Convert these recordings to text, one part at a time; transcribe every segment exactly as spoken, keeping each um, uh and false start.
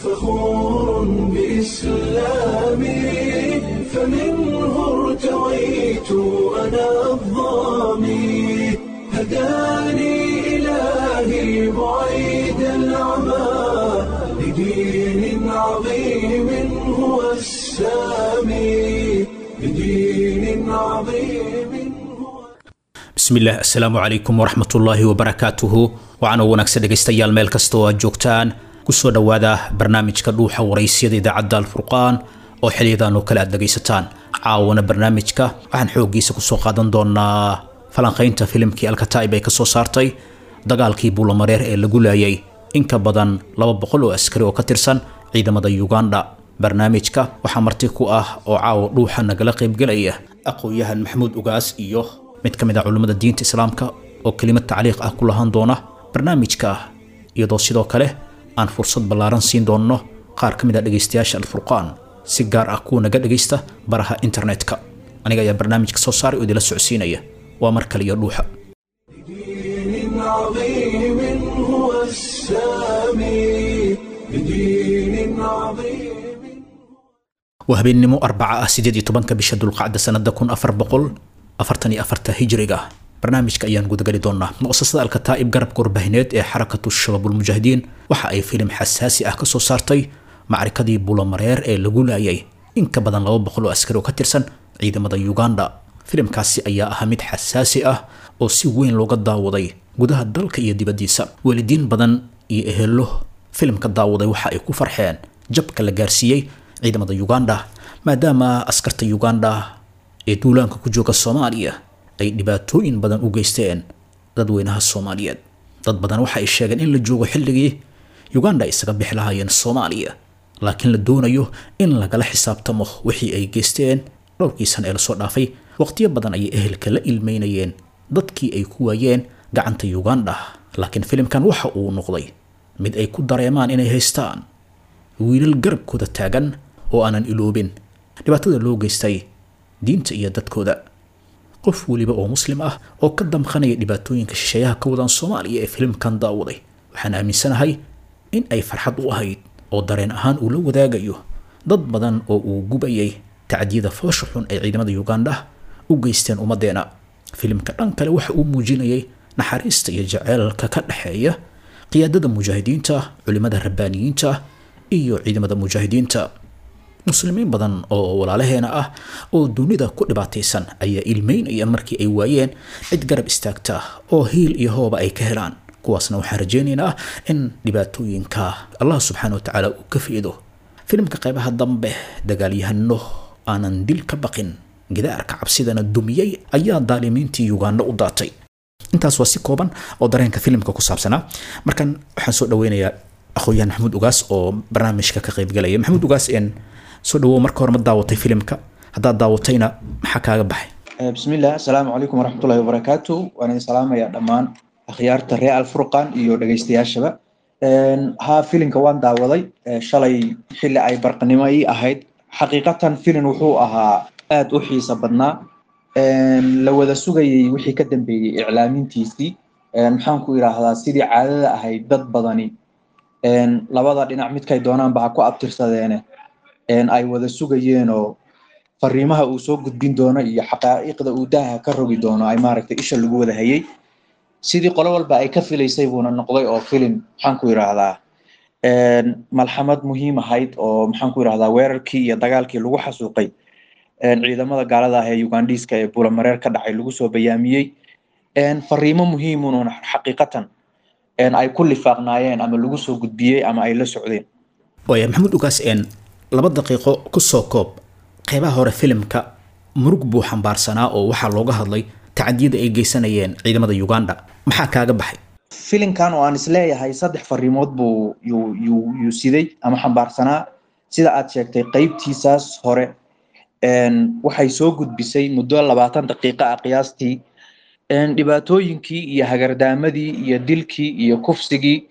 فخور بإسلامي، فمنه ارتويت أنا الظامي، هداني إلهي بعيد العمى لدين عظيم هو السامي، لدين عظيم هو. Bismillaah, assalaamu calaykum waraxmatullaahi wabarakaatuhu. Waxaana wanaagsan dhegaystayaal meel kasta oo aad joogtaan, kusoo dhowaada barnaamijka Dhuuxa Waraysyada idaacadda Alfurqaan oo xiliyadan oo kale aad dhegaysataan. Caawana barnaamijka waxaan xooggiisa kusoo qaadan doonaa falanqaynta filimkii Alkataa'ib ay kasoo saartay dagaalkii Buulamareer ee lagu laayay in ka badan laba boqol oo askari oo ka tirsan ciidamada Uganda. Barnaamijka waxaa marti ku ah oo caawa Dhuuxa nagala qaybgelaya aqoon-yahan Maxamuud Ugaas iyo mid ka mid ah culimmada diinta Islaamka oo kelimad tacliiq ah ku lahaan doona barnaamijka, iyadoo sidoo kale aan fursad ballaaran siin doonno qaar ka mid ah dhegaystayaasha Alfurqaan, si gaar ah kuwa naga dhegaysta baraha internetka. Aniga ayaa barnaamijka soo saaray oo idila socodsiinaya. Waa mar kale iyo Dhuuxa. لدين عظيم هو السامي، لدين عظيم. Waa habeennimo Arbaca ah, sideed iyo tobanka bisha Dulqacda, sanada kun afar boqol afartan iyo afarta Hijriga. Barnaamijka ayaan gudagali doonaa. Mu'asasada Alkataa'ib, garabka warbaahineed ee Xarakatu Shabaabulmujaahidiin, waxa ay filim xasaasi ah kasoo saartay macrikadii Buulamareer ee lagu laayay in ka badan laba boqol oo askari oo ka tirsan ciidamada Uganda. Filimkaasi ayaa ahaa mid xasaasi ah oo si weyn looga daawaday gudaha dalka iyo dibaddiisa. Waalidiin badan iyo ehelo filimka daawaday waxa ay ku farxeen jabka la gaarsiiyey ciidamada Uganda, maadaama askarta Uganda ee duulaanka ku jooga Soomaaliya ay dhibaatooyin badan u geysteen dadweynaha Soomaaliyeed. Dad badan waxa ay sheegeen in la joogo xilligii Uganda ay isaga bixi lahaayeen Soomaaliya, laakiin la doonayo in lagala xisaabtamo wixii ay geysteen dhowrkii sana ee lasoo dhaafay. Waqtiyo badan ayay ehelka la ilmeynayeen dadkii ay ku waayeen gacanta Uganda, laakiin filimkan waxa uu noqday mid ay ku dareemaan inay haystaan wiilal garabkooda taagan oo aanan iloobin dhibaatada loo geystay diinta iyo dadkooda. Qof weliba oo Muslim ah oo ka damqanaya dhibaatooyinka shisheeyaha ka wadaan Soomaaliya ee filimkan daawaday, waxaan aaminsanahay in ay farxad u ahayd oo dareen ahaan uu la wadaagayo dad badan oo uu gubayay tacdiyada foosha xun ay ciidamada Uganda u geysteen ummadeena. Filimka dhan kale waxa uu muujinayay naxariista iyo jaceylka ka dhexeeya qiyaadada mujaahidiinta, culimada rabbaaniyiinta iyo ciidamada mujaahidiinta. Muslimiin badan oo walaalaheena ah oo dunida ku dhibaataysan ayaa ilmeynaya markii ay waayeen cid garab istaagta oo hiil iyo hooba ay ka helaan. Kuwaasna waxaan rajaynaynaa in dhibaatooyinka Allah subxaana wa tacaala uu ka fiido. Filimka qaybaha dambe, dagaalyahano aanan dil ka baqin, gidaarka cabsidana dumiyey, ayaa daalimiintii Uganda u daatay. Intaas waa si kooban oo dareenka filimka ku saabsanaa. Markan waxaan soo dhaweynayaa aqoon-yahan Maxamuud Ugaas oo barnaamijka ka qaybgalaya. Maxamuud Ugaas, een soo dhawow. Marka hore, ma daawatay filimka? Haddaad daawatayna, maxaa kaaga baxay? Bismillah, asalaamu calaykum waraxmatullahi wabarakaatu. Waan idin salaamayaa dhammaan akhyaarta reer Alfurqan iyo dhegeystayaashaba. Haa, filimka waan daawaday shalay xilli ay barqanimo ii ahayd. Xaqiiqatan filin wuxuu ahaa aad u xiiso badnaa, la wada sugayay wixii ka dambeeyey iclaamintiisii. Maxaan ku idhaahdaa, sidii caadada ahayd dad badani labada dhinac midkay doonaanba ha ku abtirsadeene ay wada sugayeenoo fariimaha uu soo gudbin doono iyo xaqaa'iqda uu daaha ka rogi doono ay maaragtay isha lagu wada hayay. Sidii qolo walba ay ka filaysay buuna noqday, oo filim maxaan ku idhaahdaa malxamad muhiim ahayd oo maxaan ku idhahdaa weerarkii iyo dagaalkii lagu xasuuqay ciidamada gaalada ah ee Ugandiiska ee Buulamareer ka dhacay lagu soo bayaamiyey, fariimo muhiimuun xaqiiqatan ay ku lifaaqnaayeen ama lagu soo gudbiyey ama ay la socdeen. Waaya Maxamuud Ugaas, een laba daqiiqo kusoo koob. Qeybaha hore filimka murug buu xambaarsanaa oo waxaa looga hadlay tacadiyada ay geysanayeen ciidamada Uganda. Maxaa kaaga baxay? Filimkan oo aan isleeyahay saddex fariimood buu yuu yuu yuu siday ama xambaarsanaa, sida aad sheegtay, qeybtiisaas hore waxay soo gudbisay muddo labaatan daqiiqo ah qiyaastii dhibaatooyinkii iyo hagardaamadii iyo dilkii iyo kufsigii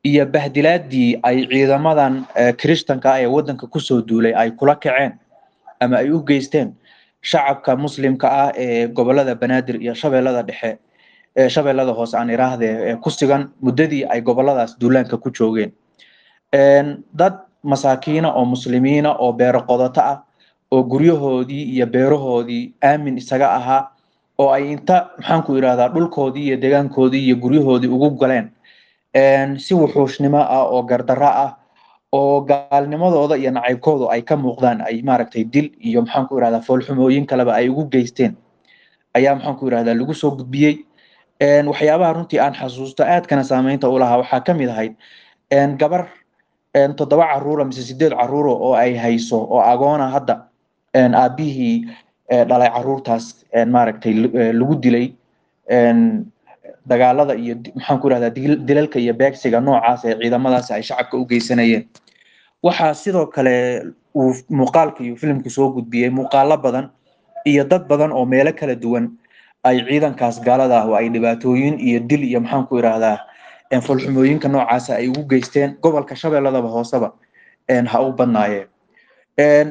iyo bahdilaadii ay ciidamadan Kirishtanka ah ee waddanka kusoo duulay ay kula kaceen ama ay u geysteen shacabka Muslimka ah ee gobolada Banaadir iyo Shabeellada Dhexe, ee Shabeellada Hoose aan iraahdee, ee ku sugan muddadii ay goboladaas duulaanka ku joogeen. Dad masaakiina oo muslimiina oo beero qodato ah oo guryahoodii iyo beerahoodii aamin isaga ahaa oo ay inta maxaan ku idhahdaa dhulkoodii iyo deegaankoodii iyo guryahoodii ugu galeen si wuxuushnimo ah oo gardarro ah oo gaalnimadooda iyo nacaybkoodu ay ka muuqdaan, ay maaragtay dil iyo maxaan ku idhahdaa foolxumooyin kaleba ay ugu geysteen ayaa maxaan ku idhahdaa lagu soo gudbiyey. Waxyaabaha runtii aan xasuusto aadkana saameynta u lahaa waxaa ka mid ahayd gabar toddoba caruura mise sideed caruura oo ay hayso oo agoona hadda aabihii dhalay caruurtaas maaragtay lagu dilay dagaalada iyo maxaan ku idhahdaa dilalka iyo beegsiga noocaas ee ciidamadaas ay shacabka u geysanayeen. Waxaa sidoo kale uu muuqaalka iyo filimku soo gudbiyey muuqaalo badan iyo dad badan oo meelo kala duwan ay ciidankaas gaalada ah oo ay dhibaatooyin iyo dil iyo maxaan ku idhahdaa foolxumooyinka noocaasa ay ugu geysteen gobolka Shabeelladaba hooseba ha u badnaayeen.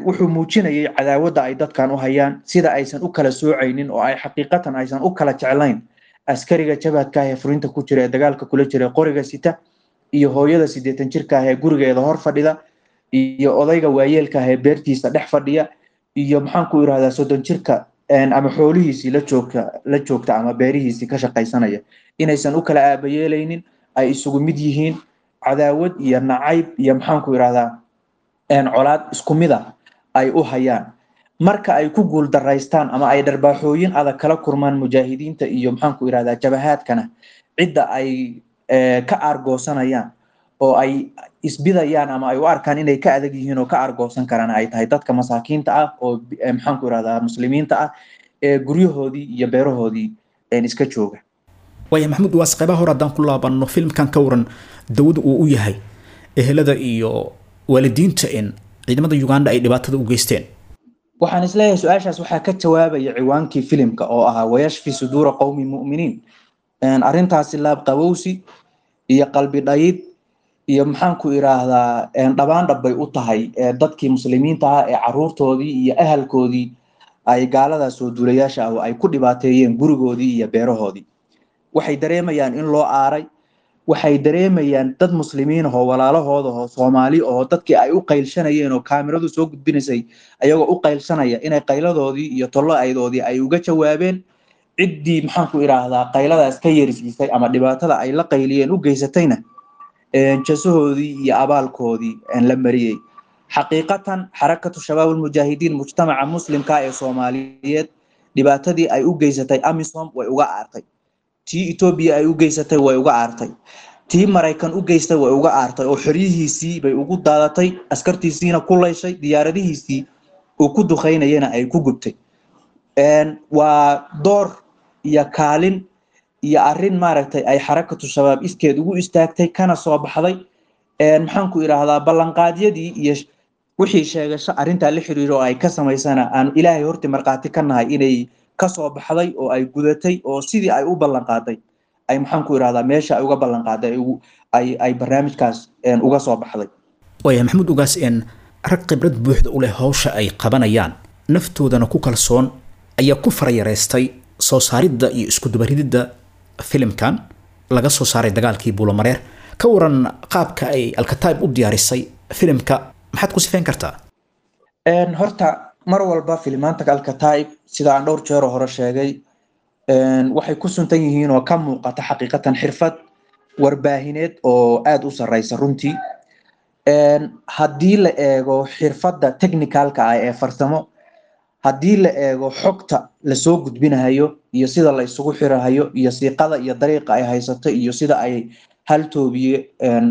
Wuxuu muujinayay cadaawadda ay dadkan u hayaan, sida aysan u kala soocaynin oo ay xaqiiqatan aysan u kala jeclayn askariga jabhadka ah ee furinta ku jira ee dagaalka kula jira qoriga sita iyo hooyada siddeetan jirka ah ee gurigeeda hor fadhida iyo odayga waayeelka ah ee beertiisa dhex fadhiya iyo maxaan ku idhahdaa soddon jirka ama xoolihiisii la joogta la joogta ama beerihiisii ka shaqaysanaya, inaysan u kala aabayeelaynin, ay isugu mid yihiin, cadaawad iyo nacayb iyo maxaan ku idhahdaa colaad isku mid ah ay u hayaan. Marka ay ku guul daraystaan ama ay dharbaaxooyin adag kala kurmaan mujaahidiinta iyo maxaan ku idhahdaa jabahaadkana, cidda ay ka aargoosanayaan oo ay isbidayaan ama ay u arkaan inay ka adag yihiin oo ka aargoosan karaan ay tahay dadka masaakiinta ah oo maxaan ku idhahdaa muslimiinta ah ee guryahoodii iyo beerahoodii iska jooga. Waaya Maxamuud, waas qaybaha hore haddaan ku laabanno filmkan, ka waran dawada uu u yahay ehelada iyo waalidiinta in ciidamada Uganda ay dhibaatada u geysteen? Waxaan isleeyahay su-aashaas waxaa ka jawaabaya ciwaankii filimka oo ahaa wayashfi suduura qowmi mu'miniin. Arrintaasi laab qabowsi iyo qalbi dhayid iyo maxaan ku idhaahdaa dhabaan dhab bay u tahay dadkii muslimiinta ah ee caruurtoodii iyo ahalkoodii ay gaaladaas soo duulayaasha ah oo ay ku dhibaateeyeen gurigoodii iyo beerahoodii. Waxay dareemayaan in loo aaray, waxay dareemayaan dad muslimiin oo walaalahooda oo Soomaali oo dadkii ay u qaylshanayeen oo kaamiradu soo gudbinaysay ayagoo u qaylshanaya inay qayladoodii iyo tollo-aydoodii ay uga jawaabeen. Ciddii maxaan ku idhaahdaa qayladaas ka yeersiisay ama dhibaatada ay la qayliyeen u geysatayna jasahoodii iyo abaalkoodii la mariyey. Xaqiiqatan Xarakatu Shabaab Almujaahidiin mujtamaca muslimka ee Soomaaliyeed dhibaatadii ay u geysatay AMISOM way uga aartay, tii Etoobiya ay u geysatay way uga aartay, tii Maraykan u geystay way uga aartay oo xoryihiisii bay ugu daadatay, askartiisiina ku layshay, diyaaradihiisii uu ku duqeynayana ay ku gubtay. Waa door iyo kaalin iyo arrin maaragtay ay Xarakatu Shabaab iskeed ugu istaagtay kana soo baxday maxaan ku idhaahdaa ballanqaadyadii iyo wixii sheegasho arrintaa la xiriiro oo ay ka samaysana aan Ilaahay horti markhaati ka nahay inay kasoo baxday oo ay gudatay oo sidii ay u ballanqaaday ay maxaan ku idhahdaa meesha ay uga ballanqaaday ay ay barnaamijkaas uga soo baxday. Waaya Maxamuud Ugaas, in rag khibrad buuxda u leh hawsha ay qabanayaan naftoodana ku kalsoon ayaa ku farayareystay soo saaridda iyo isku dubarididda filimkan laga soo saaray dagaalkii Buulomareer. Ka waran qaabka ay Alkataib u diyaarisay filimka, maxaad ku sifeyn kartaa? Horta mar walba filimaanta Alkataib sida aan dhowr jeer hore sheegay waxay ku suntan yihiin oo ka muuqata xaqiiqatan xirfad warbaahineed oo aada u sarreysa runtii. Haddii la eego xirfadda technicalka ah ee farsamo, haddii la eego xogta lasoo gudbinahayo iyo sida la isugu xirahayo iyo siiqada iyo dariiqa ay haysato iyo sida ay hal toobiye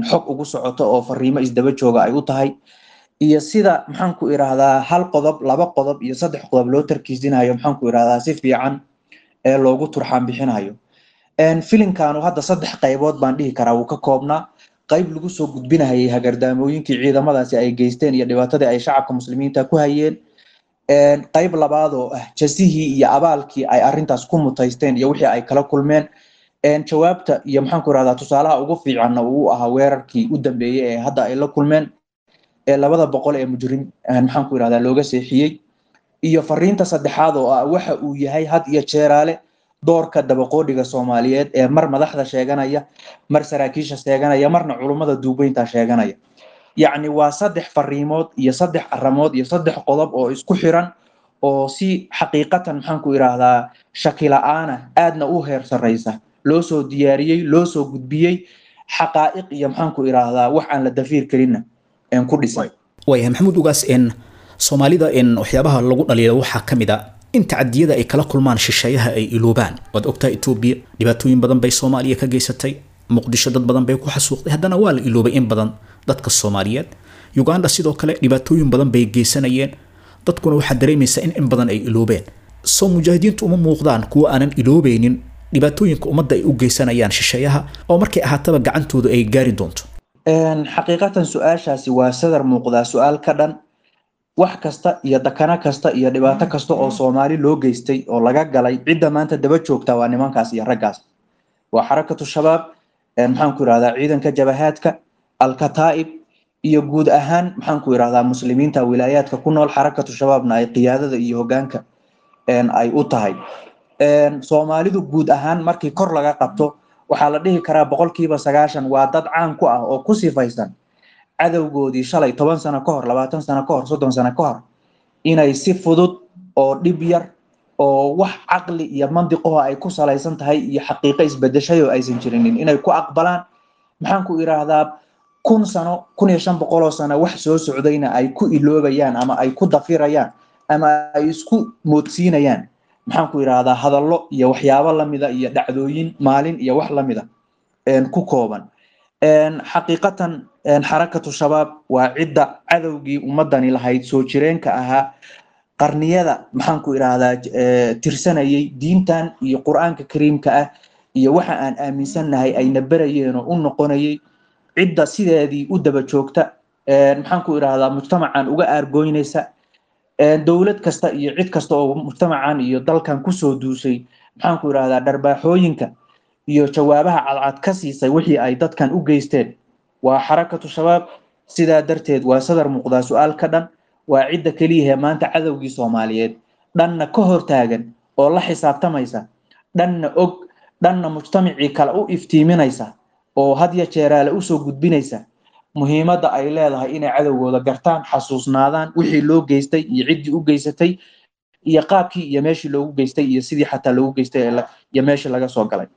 xog ugu socoto oo fariimo isdaba jooga ay u tahay iyo sida maxaan ku idhaahdaa hal qodob, laba qodob iyo saddex qodob loo tarkiisinayo maxaan ku idhaahdaa si fiican ee loogu turxaan bixinayo. Filimkanu hadda saddex qaybood baan dhihi karaa wuu ka koobnaa. Qayb lagu soo gudbinahayay hagardaamooyinkii ciidamadaasi ay geysteen iyo dhibaatadii ay shacabka muslimiinta ku hayeen, qayb labaad oo ah jasihii iyo abaalkii ay arrintaas ku mutaysteen iyo wixii ay kala kulmeen, jawaabta iyo maxaan ku idhahdaa tusaalaha ugu fiicanna uu ahaa weerarkii u dambeeyey ee hadda ay la kulmeen ee labada boqol ee mujrim maxaan ku idhahdaa looga seexiyey, iyo fariinta saddexaad oo ah waxa uu yahay had iyo jeeraale doorka dabaqoodhiga Soomaaliyeed ee mar madaxda sheeganaya, mar saraakiisha sheeganaya, marna culummada duubeynta sheeganaya. Yacni waa saddex fariimood iyo saddex aramood iyo saddex qodob oo isku xiran oo si xaqiiqatan, maxaan ku idhaahdaa, shaki la-aana aadna u heer sarreysa loo soo diyaariyey, loo soo gudbiyey, xaqaa'iq iyo, maxaan ku idhaahdaa, wax aan la dafiir karinna ku dhisan. Waayahay Maxamuud Ugaas, n Soomaalida in waxyaabaha lagu dhaliilo waxaa ka mid a in tacadiyada ay kala kulmaan shisheeyaha ay iloobaan. Waad ogtahay Etoobiya dhibaatooyin badan bay Soomaaliya ka geysatay, Muqdisho dad badan bay ku xasuuqday, haddana waa la iloobay in badan dadka Soomaaliyeed. Uganda sidoo kale dhibaatooyin badan bay geysanayeen, dadkuna waxaa dareemaysaa in in badan ay iloobeen. Soo mujaahidiintu uma muuqdaan kuwa aanan iloobeynin dhibaatooyinka ummadda ay u geysanayaan shisheeyaha, oo markay ahaataba gacantooda ay gaari doonto? Xaqiiqatan su-aashaasi waa sadar muuqdaa su-aal ka dhan. Wax kasta iyo dakano kasta iyo dhibaato kasta oo Soomaali loo geystay oo laga galay, cidda maanta daba joogta waa nimankaas iyo raggaas, waa Xarakatu Shabaab, maxaan ku idhahdaa, ciidanka jabahaadka Alkataa'ib iyo guud ahaan, maxaan ku idhahdaa, muslimiinta wilaayaadka ku nool, Xarakatu Shabaabna ay qiyaadada iyo hoggaanka ay u tahay. Soomaalidu guud ahaan markii kor laga qabto waxaa la dhihi karaa boqolkiiba sagaashan waa dad caan ku ah oo ku sifaysan cadowgoodii shalay, toban sano ka hor, labaatan sano ka hor, soddon sano ka hor, inay si fudud oo dhib yar oo wax caqli iyo mandiqaho ay ku salaysan tahay iyo xaqiiqo isbedeshay oo aysan jirinin inay ku aqbalaan, maxaan ku idhaahdaa, kun sano, kun iyo shan boqoloo sano wax soo socdayna ay ku iloobayaan ama ay ku dafirayaan ama ay isku moodsiinayaan, maxaan ku idhaahdaa, hadallo iyo waxyaabo lamida iyo dhacdooyin maalin iyo wax lamida ku kooban. Xaqiiqatan Xarakatu Shabaab waa cidda cadowgii ummadani lahayd, soo jireenka ahaa, qarniyada, maxaan ku idhaahdaa, tirsanayay diintan iyo Qur-aanka Kariimka ah iyo waxa aan aaminsannahay ayna barayeen oo u noqonayay, cidda sideedii u daba joogta, maxaan ku idhaahdaa, mujtamacan uga aargoynaysa dowlad kasta iyo cid kasta oo mujtamacan iyo dalkan kusoo duusay, maxaan ku idhahdaa, dharbaaxooyinka iyo jawaabaha cadcad ka siisay wixii ay dadkan u geysteen waa Xarakatu Shabaab. Sidaa darteed waa sadar muuqdaa su-aal ka dhan, waa cidda keliyahe maanta cadowgii Soomaaliyeed dhanna ka hortaagan oo la xisaabtamaysa, dhanna og, dhanna mujtamacii kale u iftiiminaysa oo had ya jeeraale usoo gudbinaysa muhiimadda ay leedahay inay cadowgooda gartaan, xasuusnaadaan wixii loo geystay iyo ciddii u geysatay iyo qaabkii iyo meeshii loogu geystay iyo sidii xataa loogu geystay iyo meeshii laga soo galay.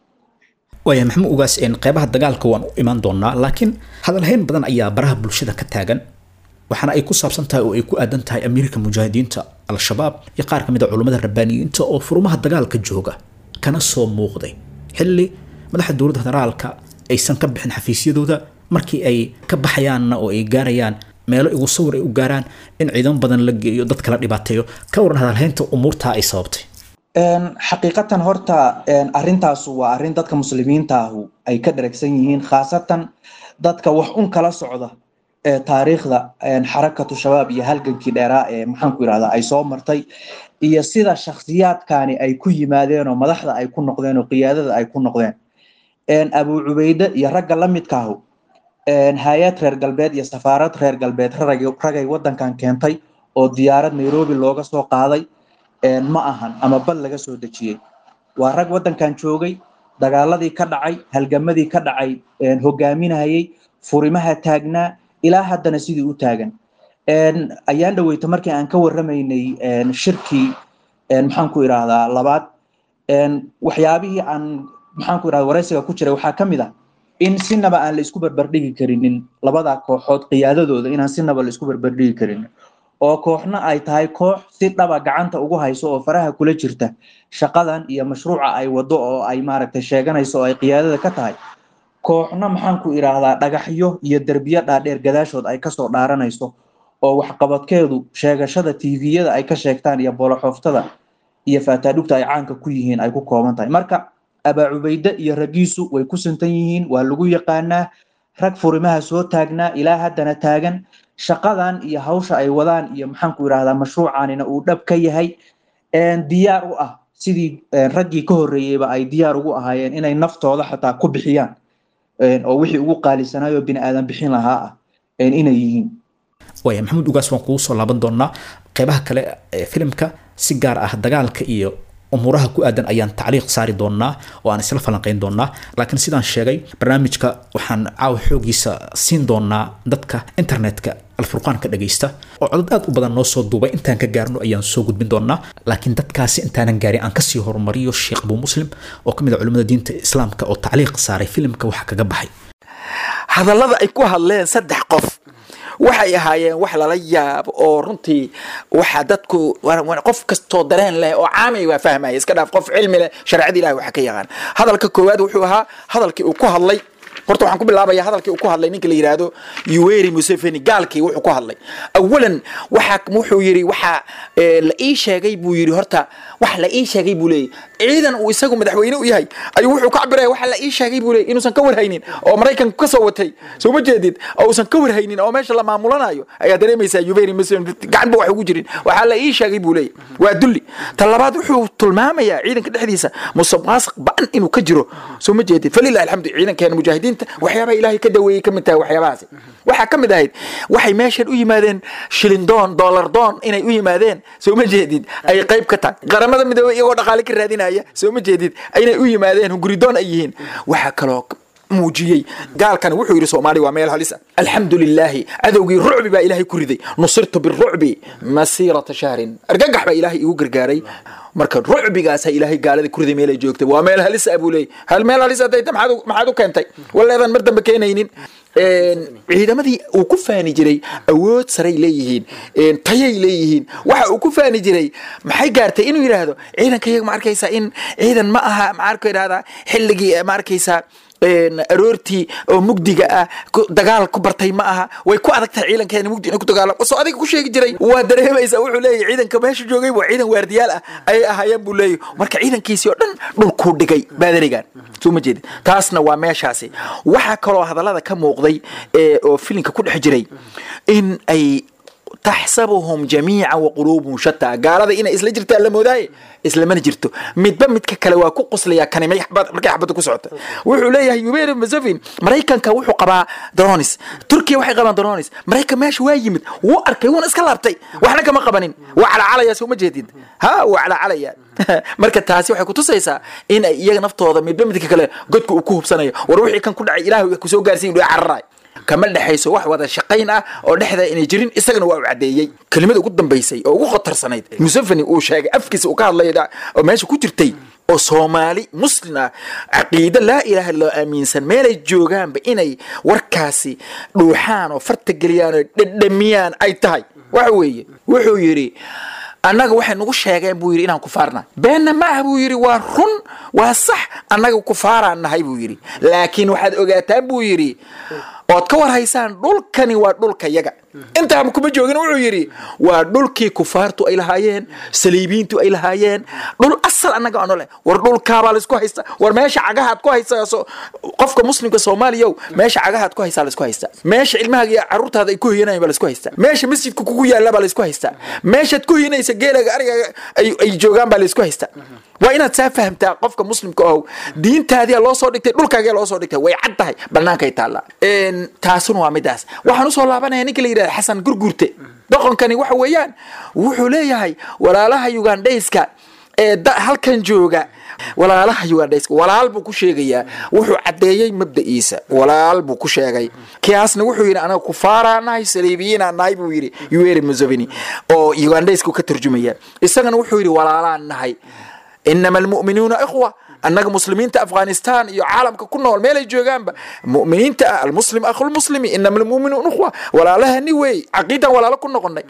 Waaya Maxamuud Ugaas, qeybaha dagaalka waan u imaan doonaa, laakiin hadalhayn badan ayaa baraha bulshada ka taagan, waxaana ay ku saabsan tahay oo ay ku aadan tahay amiirka mujaahidiinta Al-Shabaab iyo qaar ka mid a culummada rabbaaniyiinta oo furumaha dagaalka jooga kana soo muuqday xilli madaxda dowladda federaalka aysan ka bixin xafiisyadooda, markii ay ka baxayaanna oo ay gaarayaan meelo igu sawir ay u gaaraan in ciidamo badan la geeyo, dad kala dhibaateeyo. Ka waran hadalhaynta umuurtaa ay sababtay? Xaqiiqatan horta arrintaasu waa arrin dadka muslimiinta ahu ay ka dheragsan yihiin, khaasatan dadka wax un kala socda ee taariikhda Xarakatu Shabaab iyo halgankii dheeraa ee, maxaan ku yidhahdaa, ay soo martay iyo sida shakhsiyaadkani ay ku yimaadeen oo madaxda ay ku noqdeen oo qiyaadada ay ku noqdeen. Abu Cubayde iyo ragga la midkaahu hay-ad reer galbeed iyo safaarad reer galbeed ragay wadankan keentay oo diyaarad Nairobi looga soo qaaday ma ahan ama bal laga soo dejiyey. Waa rag wadankan joogay, dagaaladii ka dhacay, halgamadii ka dhacay hogaaminayay, furimaha taagnaa, ilaa haddana sidii u taagan. Ayaan dhaweyta markii aan ka warramaynay shirkii, maxaan ku idhaahdaa, labaad, waxyaabihii aan, maxaan ku idhahdaa, waraysiga ku jiray waxaa ka mid ah in sinaba aan la isku barbardhigi karinin labada kooxood qiyaadadooda, inaan sinaba la isku barbardhigi karinin, oo kooxna ay tahay koox si dhaba gacanta ugu hayso oo faraha kula jirta shaqadan iyo mashruuca ay wado oo ay maaragtay sheeganayso oo ay qiyaadada ka tahay, kooxna, maxaan ku idhaahdaa, dhagaxyo iyo derbiyo dhaadheer gadaashood ay kasoo dhaaranayso oo waxqabadkeedu sheegashada tviyada ay ka sheegtaan iyo booloxooftada iyo faataadhugta ay caanka ku yihiin ay ku kooban tahay. Marka Abaa Cubayde iyo raggiisu way ku sintan yihiin, waa lagu yaqaanaa rag furimaha soo taagnaa ilaa haddana taagan, shaqadan iyo hawsha ay wadaan iyo, maxaan ku idhahdaa, mashruucanina uu dhab ka yahay, diyaar u ah sidii raggii ka horreeyeyba ay diyaar ugu ahaayeen inay naftooda xataa ku bixiyaan oo wixii ugu qaalisanaayoo bini aadan bixin lahaa ah inay yihiin. Waaya Maxamuud Ugaas, waan kugu soo laaban doonaa qeybaha kale ee filimka, si gaar ah dagaalka iyo Umuuraha ku aadan ayaan tacliiq saari doonaa oo aan isla falanqayn doonaa, laakiin sidaan sheegay barnaamijka waxaan caawa xoogiisa siin doonaa dadka internetka Alfurqaan ka dhagaysta oo codad aad u badan noo soo duubay. Intaan ka gaarno ayaan soo gudbin doonaa, laakiin dadkaasi intaanan gaarin aan kasii horumariyo Sheekh Abuu Muslim oo ka mid ah culimmada diinta Islaamka oo tacliiq saaray filimka waxa kaga baxay. Hadallada ay ku hadleen saddex qof waxay ahaayeen wax lala yaabo oo runtii waxa dadku qof kastoo dareen leh oo caami waa fahmaya, iska dhaaf qof cilmi leh, shareecada Ilahi waxa ka yaqaan. Hadalka koowaad wuxuu ahaa hadalkii uu ku hadlay, horta waxaan ku bilaabaya hadalkii uu ku hadlay ninka la yidhaahdo Yoweri Museveni, gaalkii. Wuxuu ku hadlay awalan waxa wuxuu yidhi, waxa la ii sheegay buu yidhi, horta wax la ii sheegay buu leeyahy, ciidan uu isagu madaxweyne u yahay ayuu wuxuu ka cabiraya waxa la ii sheegay buu leeyahy inuusan ka warhaynin oo Maraykanka ka soo watay, soo ma jeedid, oo uusan ka warhaynin oo meesha la maamulanayo ayaa dareemaysaa. Yoweri Museveni gacan ba wax ugu jirin, waxaa la ii sheegay buu leeyahy, waa dulli. Ta labaad wuxuu tilmaamayaa ciidanka dhexdiisa musuqmaasuq ba'an inuu ka jiro, soo ma jeedid. Falilahi alxamdu, ciidankeena mujaahidiinta waxyaabaha Ilaahay ka daweeyey ka mid tahay waxyaabahaasi. Waxaa ka mid ahayd waxay meeshan u yimaadeen shilin doon, dollar doon inay u yimaadeen, soo ma jeedid, ay qayb ka tahay Qaramada Midoobey iyagoo dhaqaale ka raadinaya, soo ma jeedid, inay u yimaadeen hunguridoon ay yihiin. Waxaa kaloo muujiyey gaalkan, wuxuu yidhi Soomaaliya waa meel halis ah, alxamdu lilaahi cadowgii rucbi baa Ilaahay ku riday, nusirtu birucbi masiirata shahrin, argagax baa Ilaahay igu gargaaray. Marka rucbigaasa Ilaahay gaalada ku riday meel ay joogtay, waa meel halis ah buu leeyay. Hal meel halis ah dayta maxaad maxaad u keentay waleedan mar dambe keenaynin ciidamadii uu ku faani jiray? Awood saray leeyihiin, tayay leeyihiin, waxa uu ku faani jiray maxay gaartay inuu yidhaahdo ciidanka iyaga ma arkaysaa in ciidan ma aha, maxaa ku yidhahdaa, xilligii ma arkaysaa aroortii oo mugdiga ah dagaal ku bartay ma aha, way ku adag tahay ciidankeena mugdi inay ku dagaalam soo adiga ku sheegi jiray. Waa dareemaysaa, wuxuu leeyahay ciidanka meesha joogay waa ciidan waardiyaal ah ayay ahaayeen buu leeyahay. Marka ciidankiisii oo dhan dhulkuu dhigay baadarigan, soo ma jeedin? Taasna waa meeshaasi. Waxaa kaloo hadallada ka muuqday oo filinka ku dhex jiray in ay taxsabuhum jamiican wa quluubuhum shataa, gaalada inay isla jirtaan la moodaaye, islamana jirto, midba midka kale waa ku qoslayaa kani markay xabadda ku socota. Wuxuu leeyahay Yoweri Museveni, Maraykanka wuxuu qabaa drones, Turkiya waxay qabaan drones, Maraykan meesha waa yimid, wuu arkay, wuuna iska laabtay, waxna kama qabanin, waa calacalaya, soo ma jeedid? Ha, waa calacalaya. Marka taasi waxay kutusaysaa in ay iyaga naftooda midba midka kale godka uu ku hubsanayo, war wixii kan ku dhacay Ilaahu kusoo gaarsiin, cararay, kama dhexayso wax wada shaqayn ah oo dhexda inay jirin, isagana waa u caddeeyey. Kelimada ugu dambaysay oo ugu khatarsanayd Museveni uu sheegay afkiisa uu ka hadlay oo meesha ku jirtay oo Soomaali Muslim ah, caqiide laa ilaaha loo aaminsan meelay joogaanba inay warkaasi dhuuxaan oo farta geliyaan oo dhedhamiyaan ay tahay, waxa weeye wuxuu yidhi annaga waxay nagu sheegeen buu yidhi inaan kufaarnahay, beenna ma ah buu yidhi, waa run, waa sax, annaga kufaaraan nahay buu yidhi, laakiin waxaad ogaataan buu yidhi ood ka war haysaan dhulkani waa dhulka yaga. Intaaba kuma joogin, wuxuu yidhi waa dhulkii kufaartu ay lahaayeen, saliibiintu ay lahaayeen, dhul asal annaga aanu leh. War dhulkaabaa laisku haysta, war meesha cagahaad ku haysaa qofka Muslimka Soomaaliyow, meesha cagahaad ku haysaa laisku haystaa, meesha ilmahaaga iyo carruurtaada ay ku hoyanayaan baa laisku haystaa, meesha masjidka kugu yaalla baa laisku haystaa, meeshaad ku hoyanaysa geelaga arigaga ay ay joogaan baa laisku haystaa. Waa inaad saa fahamtaa qofka Muslimka ohow, diintaadiyaa loo soo dhigtay, dhulkaagaa loo soo dhigtay, way cad tahay, bannaankay taallaa. Taasuna waa midaas. Waxaan usoo laabanaya ninka la yidhahda Xasan Gurgurte. Doqonkani waxa weeyaan wuxuu leeyahay walaalaha Ugandhayska ee halkan jooga, walaalaha Ugandhayska walaal buu ku sheegayaa, wuxuu caddeeyey mabda'iisa, walaal buu ku sheegay. Kiyaasna wuxuu yidhi anaga kufaaraa nahay, saliibiyiinaa nahay buu yidhi Yoweri Museveni oo Ugandhaysku ka turjumaya, isagana wuxuu yidhi walaalaan nahay, inama almu'minuuna ikhwa, annaga muslimiinta Afghanistan iyo caalamka ku nool meelay joogaanba mu'miniinta ah, almuslim akhulmuslimi, inama almu'minuuna ikhwa, walaalahani wey, caqiidan walaalo ku noqonay.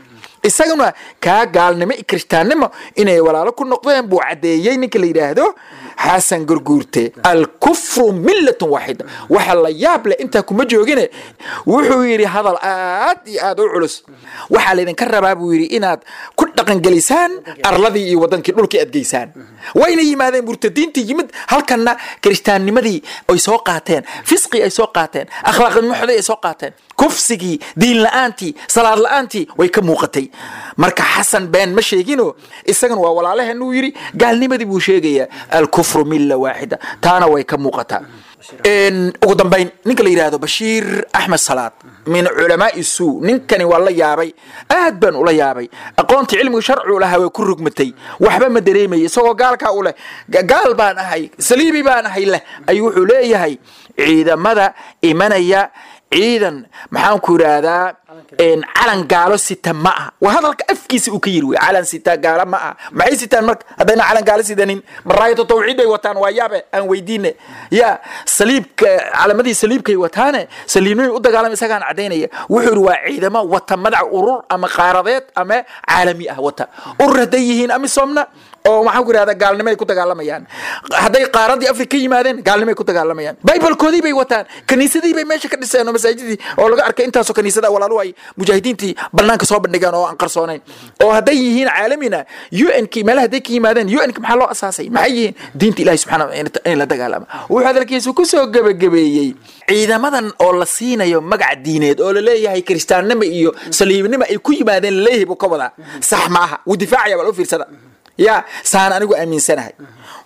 Isaguna kaa gaalnimo iyo kirishtaannimo inay walaalo ku noqdeen buu caddeeyey ninka la yidhaahdo Xasan Gurguurte. Alkufru millatun waaxida. Waxa la yaab leh intaa kuma joogine, wuxuu yidhi hadal aad iyo aad u culus, waxaa laydinka rabaa buu yidhi inaad ku dhaqangelisaan arladii iyo wadankii dhulkii aad geysaan. Wayna yimaadeen murtadiintii yimid halkanna, kirishtaannimadii ay soo qaateen, fisqi ay soo qaateen, akhlaaqnimo ay soo qaateen. Kufsigii, diin la-aantii, salaad la-aantii way ka muuqatay. Marka Xasan been ma sheegino, isagana waa walaalaheen uu yidhi, gaalnimadii buu sheegayaa, alkufru milla waaxida, taana way ka muuqataa. Ugu dambayn, ninka la yidhaahdo Bashiir Axmed Salaad min culamaai suu, ninkani waa la yaabay, aad baan ula yaabay. Aqoontii cilmiga sharcigu lahaa way ku rugmatay, waxba ma dareemayay. Isagoo gaalkaa u leh gaal baan ahay, saliibi baan ahay leh, ayuu wuxuu leeyahay ciidamada imanaya ciidan maxaan ku yidhaahdaa calan gaalo sita ma aha. Waa hadalka afkiisa uu ka yiri wey, calan sita gaalo ma aha. Maxay sitaan marka haddayna calan gaalo sidanin? Maraayatu tawxiid bay wataan. Waa yaabe, aan weydiine ya saliibka, calamadii saliibkay wataane, saliibnimay u dagaalama, isagaan caddaynaya. Wuxuu yidhi waa ciidamo wata madac urur ama qaaradeed ama caalami ah wata. Urur hadday yihiin Amisomna oo maxaan ku yidhahdaa gaalnimay ku dagaalamayaan, hadday qaaradii Afrika ka yimaadeen gaalnimay ku dagaalamayaan. Bibalkoodii bay wataan, kaniisadii bay meesha ka dhiseen oo masaajidii oo laga arkay intaasoo kaniisada walaaluhu ay mujaahidiintii banaanka soo bandhigeen oo aan qarsoonayn. Oo hadday yihiin caalamina U N k meelaha hadday ka yimaadeen, U N k maxaa loo asaasay? Maxay yihiin? Diinta Ilahi subxana in la dagaalama. Wuxuu hadalkiisu kusoo gebagabeeyey ciidamadan oo la siinayo magac diineed oo laleeyahay kiristaannimo iyo saliibnimo ay ku yimaadeen laleeyahay buu ka wadaa, sax ma aha. Wuu difaacaya, bal u fiirsada ya saan anigu aaminsanahay.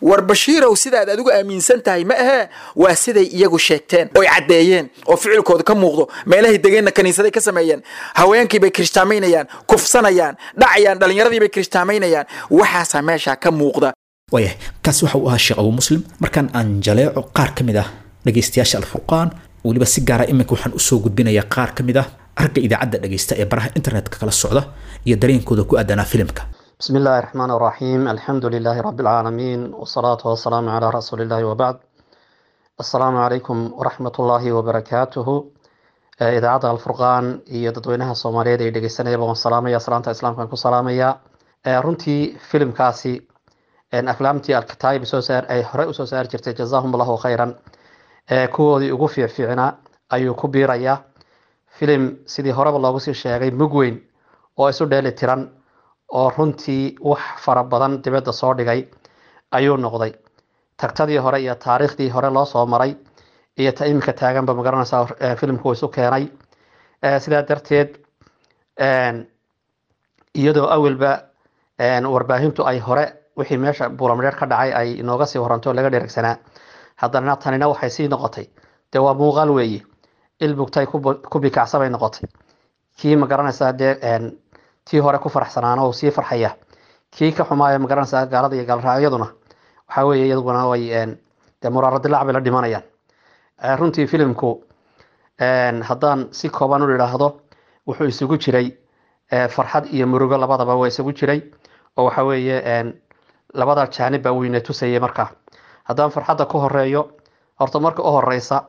War Bashiirow, sidaad adigu aaminsan tahay ma ahee, waa siday iyagu sheegteen oy caddeeyeen oo ficilkooda ka muuqdo. Meelahay degeenna kaniisaday ka sameeyeen, haweenkii bay kirishtaamaynayaan, kufsanayaan, dhacayaan, dhallinyaradii bay kirishtaamaynayaan, waxaasaa meeshaa ka muuqda. Waayahay, kaasi waxa uu ahaa Sheekh Abu Muslim. Markaan aan jaleeco qaar ka mid ah dhegaystayaasha Alfurqaan, weliba si gaara iminka waxaan usoo gudbinayaa qaar ka mid ah ragga idaacadda dhegaysta ee baraha internetka kala socda iyo dareenkooda ku aadanaa filimka. بسم الله الرحمن الرحيم، الحمد لله رب العالمين، والصلاة والسلام على رسول الله، وبعد. السلام عليكم ورحمة الله وبركاته. إذاعة الفرقان iyo dadweynaha Soomaaliyeed ee dhegeysanaya waan salaamaya, salaanta islaamka ku salaamaya. Runtii filimkaasi aflaamtii Alkataib soo saar ay hore u soo saar jirtay, jazaahum Allahu khayran, kuwoodii ugu fiicfiicnaa ayuu ku biirayaa. Filim sidii horeba loogu sii sheegay mug weyn oo isu dheeli tiran oo runtii wax fara badan dibadda soo dhigay ayuu noqday. Tagtadii hore iyo taariikhdii hore loo soo maray iyo ta iminka taaganba magaranaysaa filimku isu keenay. Sidaa darteed, iyadoo awalba warbaahintu ay hore wixii meesha Buulamadheer ka dhacay ay inooga sii waranto laga dheregsanaa, haddana tanina waxay sii noqotay dee waa muuqaal weeye, il bugtay ku bikacsa bay noqotay. Kii magaranaysaa dee tii hore ku faraxsanaana oo sii farxaya, kii ka xumaaya magaranaysaa gaalada iyo gaalraacyaduna waxaa weeye iyaduna way dee muraaro dilaac bay la dhimanayaan. Runtii filimku haddaan si kooban u idhaahdo wuxuu isugu jiray farxad iyo murugo, labadaba waa isugu jiray, oo waxa weeye labada jaanib baa weyne tusayay. Markaa haddaan farxadda ku horeeyo, horta marka u horeysa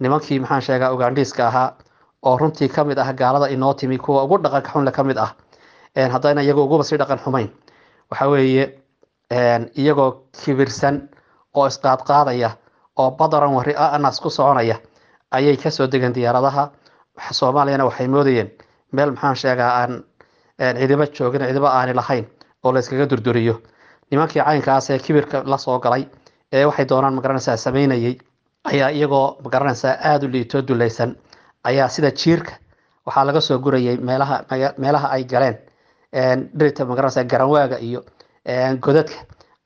nimankii maxaan sheegaa Ugandhiiska ahaa oo runtii ka mid ah gaalada inoo timi kuwa ugu dhaqanka xunle ka mid ah, haddayna iyagu uguba sii dhaqan xumayn, waxa weeye iyagoo kibirsan oo isqaadqaadaya oo badaran wari anas ku soconaya ayay kasoo degeen diyaaradaha. Soomaaliyana waxay moodayeen meel maxaan sheegaa aan cidiba joogin, cidiba aani lahayn oo la iskaga durduriyo. Nimankii caynkaas ee kibirka la soo galay ee waxay doonaan magaranaysaa samaynayay ayaa iyagoo magaranaysaa aada u liitoo dulaysan ayaa sida jiirka waxaa laga soo gurayay meelaha meelaha ay galeen dhirta magaranaysaa garanwaaga iyo godadka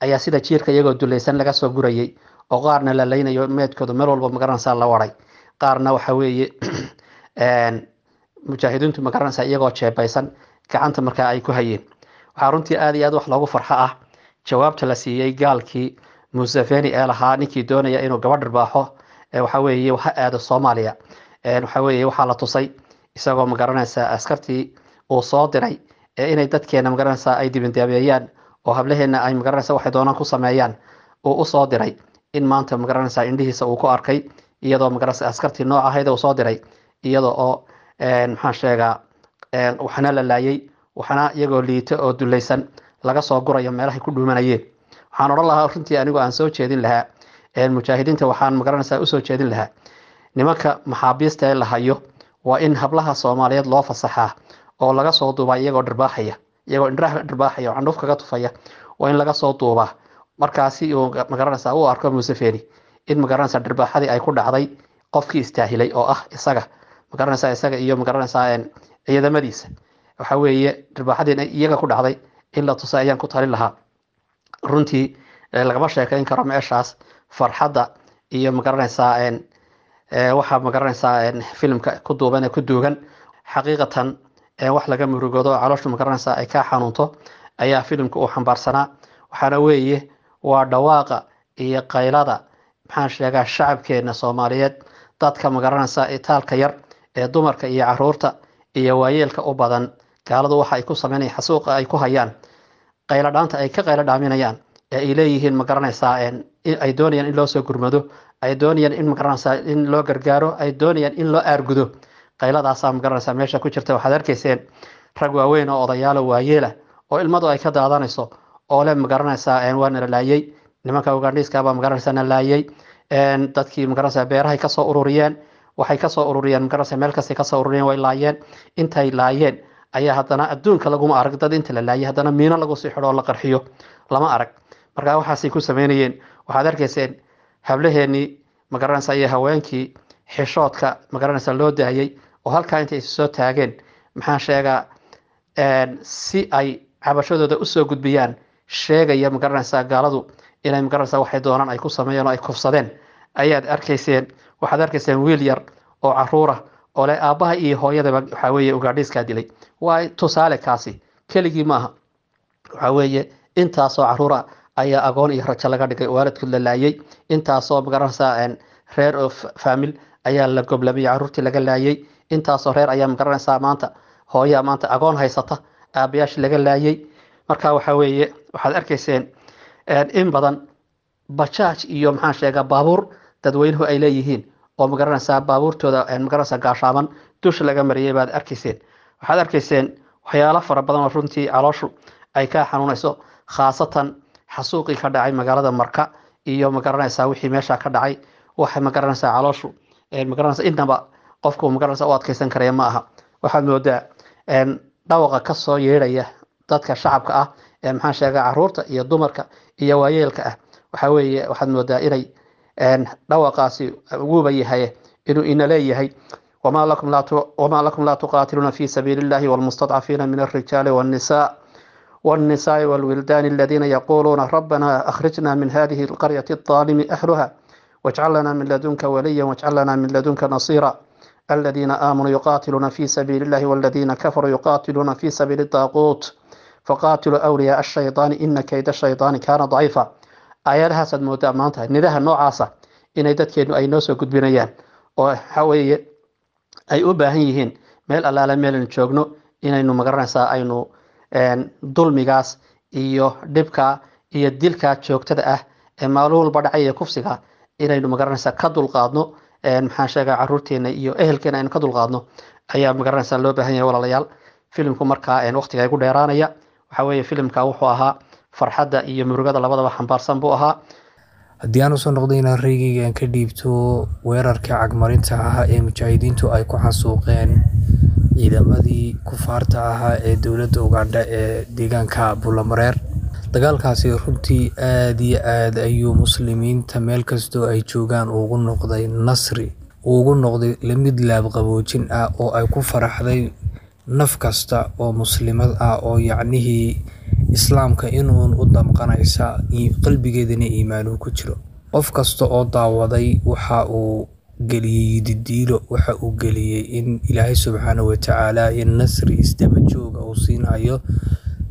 ayaa sida jiirka iyagoo dulaysan laga soo gurayay, oo qaarna la leynayo meedkooda meel walba magaranaysaa la waray, qaarna waxa weeye mujaahidiintu magaranaysaa iyagoo jeebaysan gacanta markaa ay ku hayeen. Waxaa runtii aada iyo aad wax loogu farxo ah jawaabta la siiyey gaalkii Museveni ee lahaa ninkii doonaya inuu gabadh dharbaaxo waxa weeye ha aado Soomaaliya. Waxa weeye waxaa la tusay isagoo magaranaysaa askartii uu soo diray ee inay dadkeena magaranaysaa ay dibindaabeeyaan oo hablaheena ay magaranaysaa waxay doonaan ku sameeyaan uu usoo diray, in maanta magaranaysaa indhihiisa uu ku arkay iyadoo magaranaysaa askartii nooc ahayd uu soo diray iyadoo oo maxaan sheegaa waxna la laayay, waxna iyagoo liito oo dulaysan laga soo gurayo meelahay ku dhuumanayeen. Waxaan odhan lahaa runtii anigu aan soo jeedin lahaa mujaahidiinta, waxaan magaranaysaa usoo jeedin lahaa nimanka maxaabiista ee la hayo waa in hablaha Soomaaliyeed loo fasaxaa oo laga soo duubaa iyagoo dharbaaxaya, iyagoo indhaha dharbaaxaya oo candhuuf kaga tufaya, waa in laga soo duubaa markaasi uu magaranaysaa u arko Museveni in magaranaysaa dharbaaxadii ay ku dhacday qofkii istaahilay oo ah isaga. Magaranaysaa isaga iyo magaranaysaa ciidamadiisa waxa weeye dhirbaaxadii iyaga ku dhacday in la tusay ayaan ku talin lahaa. Runtii lagama sheekayn karo meeshaas farxadda iyo magaranaysaa waxaa magaranaysaa filimka ku duuban ee ku duugan. Xaqiiqatan wax laga murugoodo, calooshu magaranaysaa ay kaa xanuunto ayaa filimka uu xambaarsanaa. Waxaana weeye waa dhawaaqa iyo qaylada, maxaan sheegaa, shacabkeena Soomaaliyeed, dadka magaranaysaa itaalka yar ee dumarka iyo caruurta iyo waayeelka u badan, gaaladu waxa ay ku sameynayaan, xasuuqa ay ku hayaan, qaylo dhaanta ay ka qaylo dhaaminayaan ee ay leeyihiin magaranaysaa ay doonayaan in loo soo gurmado, ay doonayaan in magaranaysaa in loo gargaaro, ay doonayaan in loo aargudo. Qayladaasaa magaranaysaa meesha ku jirta. Waxaad arkayseen rag waaweyn oo odayaalo waayeela oo ilmadu ay ka daadanayso oo le magaranaysaa waa nala laayay, nimanka Ugandhiiska baa magaranaysaa na laayay, dadkii magaranaysaa beerahay kasoo ururiyeen, waxay kasoo ururiyeen magaranaysaa meel kastay kasoo ururiyeen, way laayeen. Intay laayeen ayaa haddana adduunka laguma arag dad inta la laayay haddana miino lagu sii xidho oo la qarxiyo, lama arag. Marka waxaasay ku sameynayeen. Waxaad arkayseen hablaheenii magaranaysaa iyo haweenkii xishoodka magaranaysaa loo daayay oo halkaa intay isu soo taageen, maxaan sheegaa, si ay cabashadooda usoo gudbiyaan, sheegaya magaranaysaa gaaladu inay magaranaysaa waxay doonaan ay ku sameeyeen oo ay kufsadeen ayaad arkayseen. Waxaad arkayseen wiil yar oo caruura oo leh aabbaha iyo hooyadaba waxaa weeye Ugaadhiiskaa dilay. Waa tusaale kaasi, keligii maaha. Waxaa weeye intaasoo caruura ayaa agoon iyo rajo laga dhigay, waalidkood la laayay. Intaasoo magaranaysaa reer oo faamil ayaa la goblamay, caruurtii laga laayay. Intaasoo reer ayaa magaranaysaa maanta hooyaa maanta agoon haysata, aabayaashii laga laayay. Marka waxa weeye waxaad arkayseen in badan bajaaj iyo, maxaan sheegaa, baabuur dadweynuhu ay leeyihiin oo magaranaysaa baabuurtooda magaranaysaa gaashaaman dusha laga mariyay baad arkayseen. Waxaad arkayseen waxyaalo fara badan oo runtii calooshu ay ka xanuunayso, khaasatan xasuuqii ka dhacay magaalada Marka iyo magaranaysaa wixii meesha ka dhacay. Waxa magaranaysaa calooshu magaranaysaa intaba qofku magaranaysaa u adkeysan karaya ma aha. Waxaad moodaa dhawaqa kasoo yeedhaya dadka shacabka ah ee, maxaan sheegaa, caruurta iyo dumarka iyo waayeelka ah, waxa weeye waxaad moodaa inay dhawaqaasi wuuba yahay inuu ina leeyahay: wamaa lakum laa wamaa lakum laa tuqaatiluuna fi sabiili illahi walmustadcafiina min alrijaali والنساء والنساء والولدان الذين يقولون ربنا أخرجنا من هذه القرية الظالم أهلها واجعل لنا من لدنك وليا واجعل لنا من لدنك نصيرا. الذين آمنوا يقاتلون في سبيل الله والذين كفروا يقاتلون في سبيل الطاغوت فقاتلوا أولياء الشيطان إن كيد الشيطان كان ضعيفا. Aayadahaasaad moodaa maanta nidaha noocaasa inay dadkeenu ay noo soo gudbinayaan oo waxa weeye ay u baahan yihiin meel allaale meelaynu joogno inaynu magaranaysaa aynu dulmigaas iyo dhibka iyo dilka joogtada ah ee maalin walba dhacaya, kufsiga, inaynu magaranaysaa ka dulqaadno, maxaan sheegaa, caruurteena iyo ehelkeena aynu ka dulqaadno ayaa magaranaysaa loo baahan yahay. Walaalayaal, filimku markaa waqtiga igu dheeraanaya. Waxa weeye filimka wuxuu ahaa farxadda iyo murugada labadaba xambaarsan buu ahaa. Haddii aan usoo noqday inaan raygayga aan ka dhiibto weerarkii cagmarinta ahaa ee mujaahidiintu ay ku xasuuqeen ciidamadii kufaarta ahaa ee dowladda Ugandha ee deegaanka Buulamareer, dagaalkaasi runtii aad iyo aad ayuu muslimiinta meel kastoo ay joogaan ugu noqday nasri, ugu noqday lamid laabqaboojin ah oo ay ku faraxday naf kasta oo muslimad ah oo yacnihii islaamka inuun u damqanaysa, qalbigeedana iimaanuu ku jiro. Qof kasta oo daawaday waxa uu geliyey yididiilo, waxa uu geliyey in Ilaahay subxaana watacaala in nasri isdaba jooga uu siinayo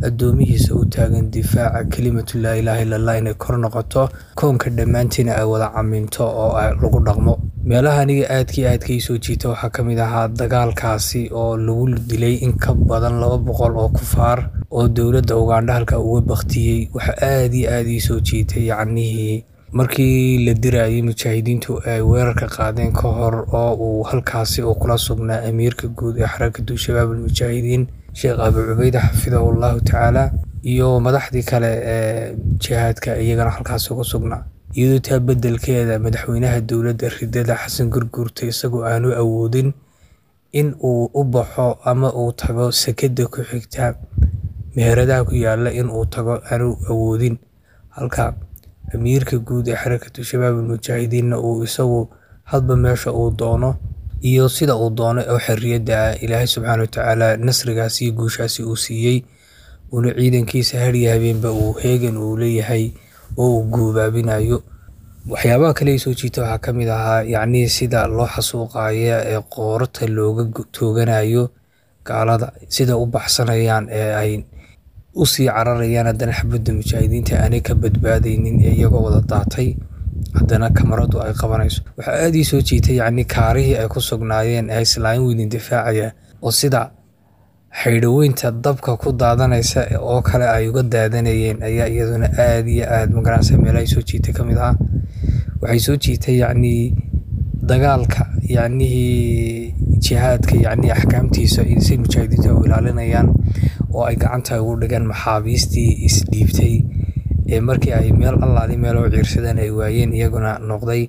addoomihiisa u taagan difaaca kelimatu laa ilaaha illa Allah inay kor noqoto koonka dhammaantiina ay wada caminto oo lagu dhaqmo. Meelaha aniga aadkii aadka ii soo jiita waxaa ka mid ahaa dagaalkaasi oo lagu dilay in ka badan laba boqol oo kufaar oo dowladda Ugandha halka uga baktiyey. Waxa aad iyo aad ii soo jiitay yacnihii markii la dirayay mujaahidiintu ay weerarka qaadeen ka hor oo uu halkaasi uu kula sugnaa amiirka guud ee xarakatu shabaab almujaahidiin Sheekh Abu Cubeyde xafidahu Allahu tacaala iyo madaxdii kale ee jihaadka iyagana halkaasi uga sugnaa, iyadoo taa bedelkeeda madaxweynaha dowladda ridada Xasan Gurguurta isagoo aanu awoodin in uu u baxo ama uu tago sekada ku xigta meheradaha ku yaala, in uu tago aanu awoodin, halka amiirka guud ee xarakatu shabaab almujaahidiinna uu isagu hadba meesha uu doono iyo sida uu doono oo xorriyadda ah Ilaahay subxaana watacaala nasrigaasi iyo guushaasi uu siiyey, uuna ciidankiisa har iyo habeenba uu heegan uu leeyahay oo uu guubaabinayo. Waxyaabaha kale ee soo jiita waxaa ka mid ahaa yacnii sida loo xasuuqayo ee qoorta looga tooganayo gaalada, sida u baxsanayaan ee ay usii cararayaan, haddana xabadda mujaahidiinta aanay ka badbaadaynin ee iyagoo wada daatay haddana kamaradu ay qabanayso. Waxaa aada ii soo jiitay yacni kaarihii ay ku sugnaayeen ee islaamin weydin difaacaya oo sida xaydhaweynta dabka ku daadanaysa oo kale ay uga daadanayeen ayaa iyaduna aada iyo aada magaranaysa meelahay soo jiitay ka mid ahaa. Waxay soo jiitay yacnii dagaalka, yacnihii jihaadka, yacnii axkaamtiisa si mujaahidiinta u ilaalinayaan oo ay gacanta ugu dhigaan maxaabiistii isdhiibtay ee markii ay meel allaali meel u ciirsadeen ay waayeen, iyaguna noqday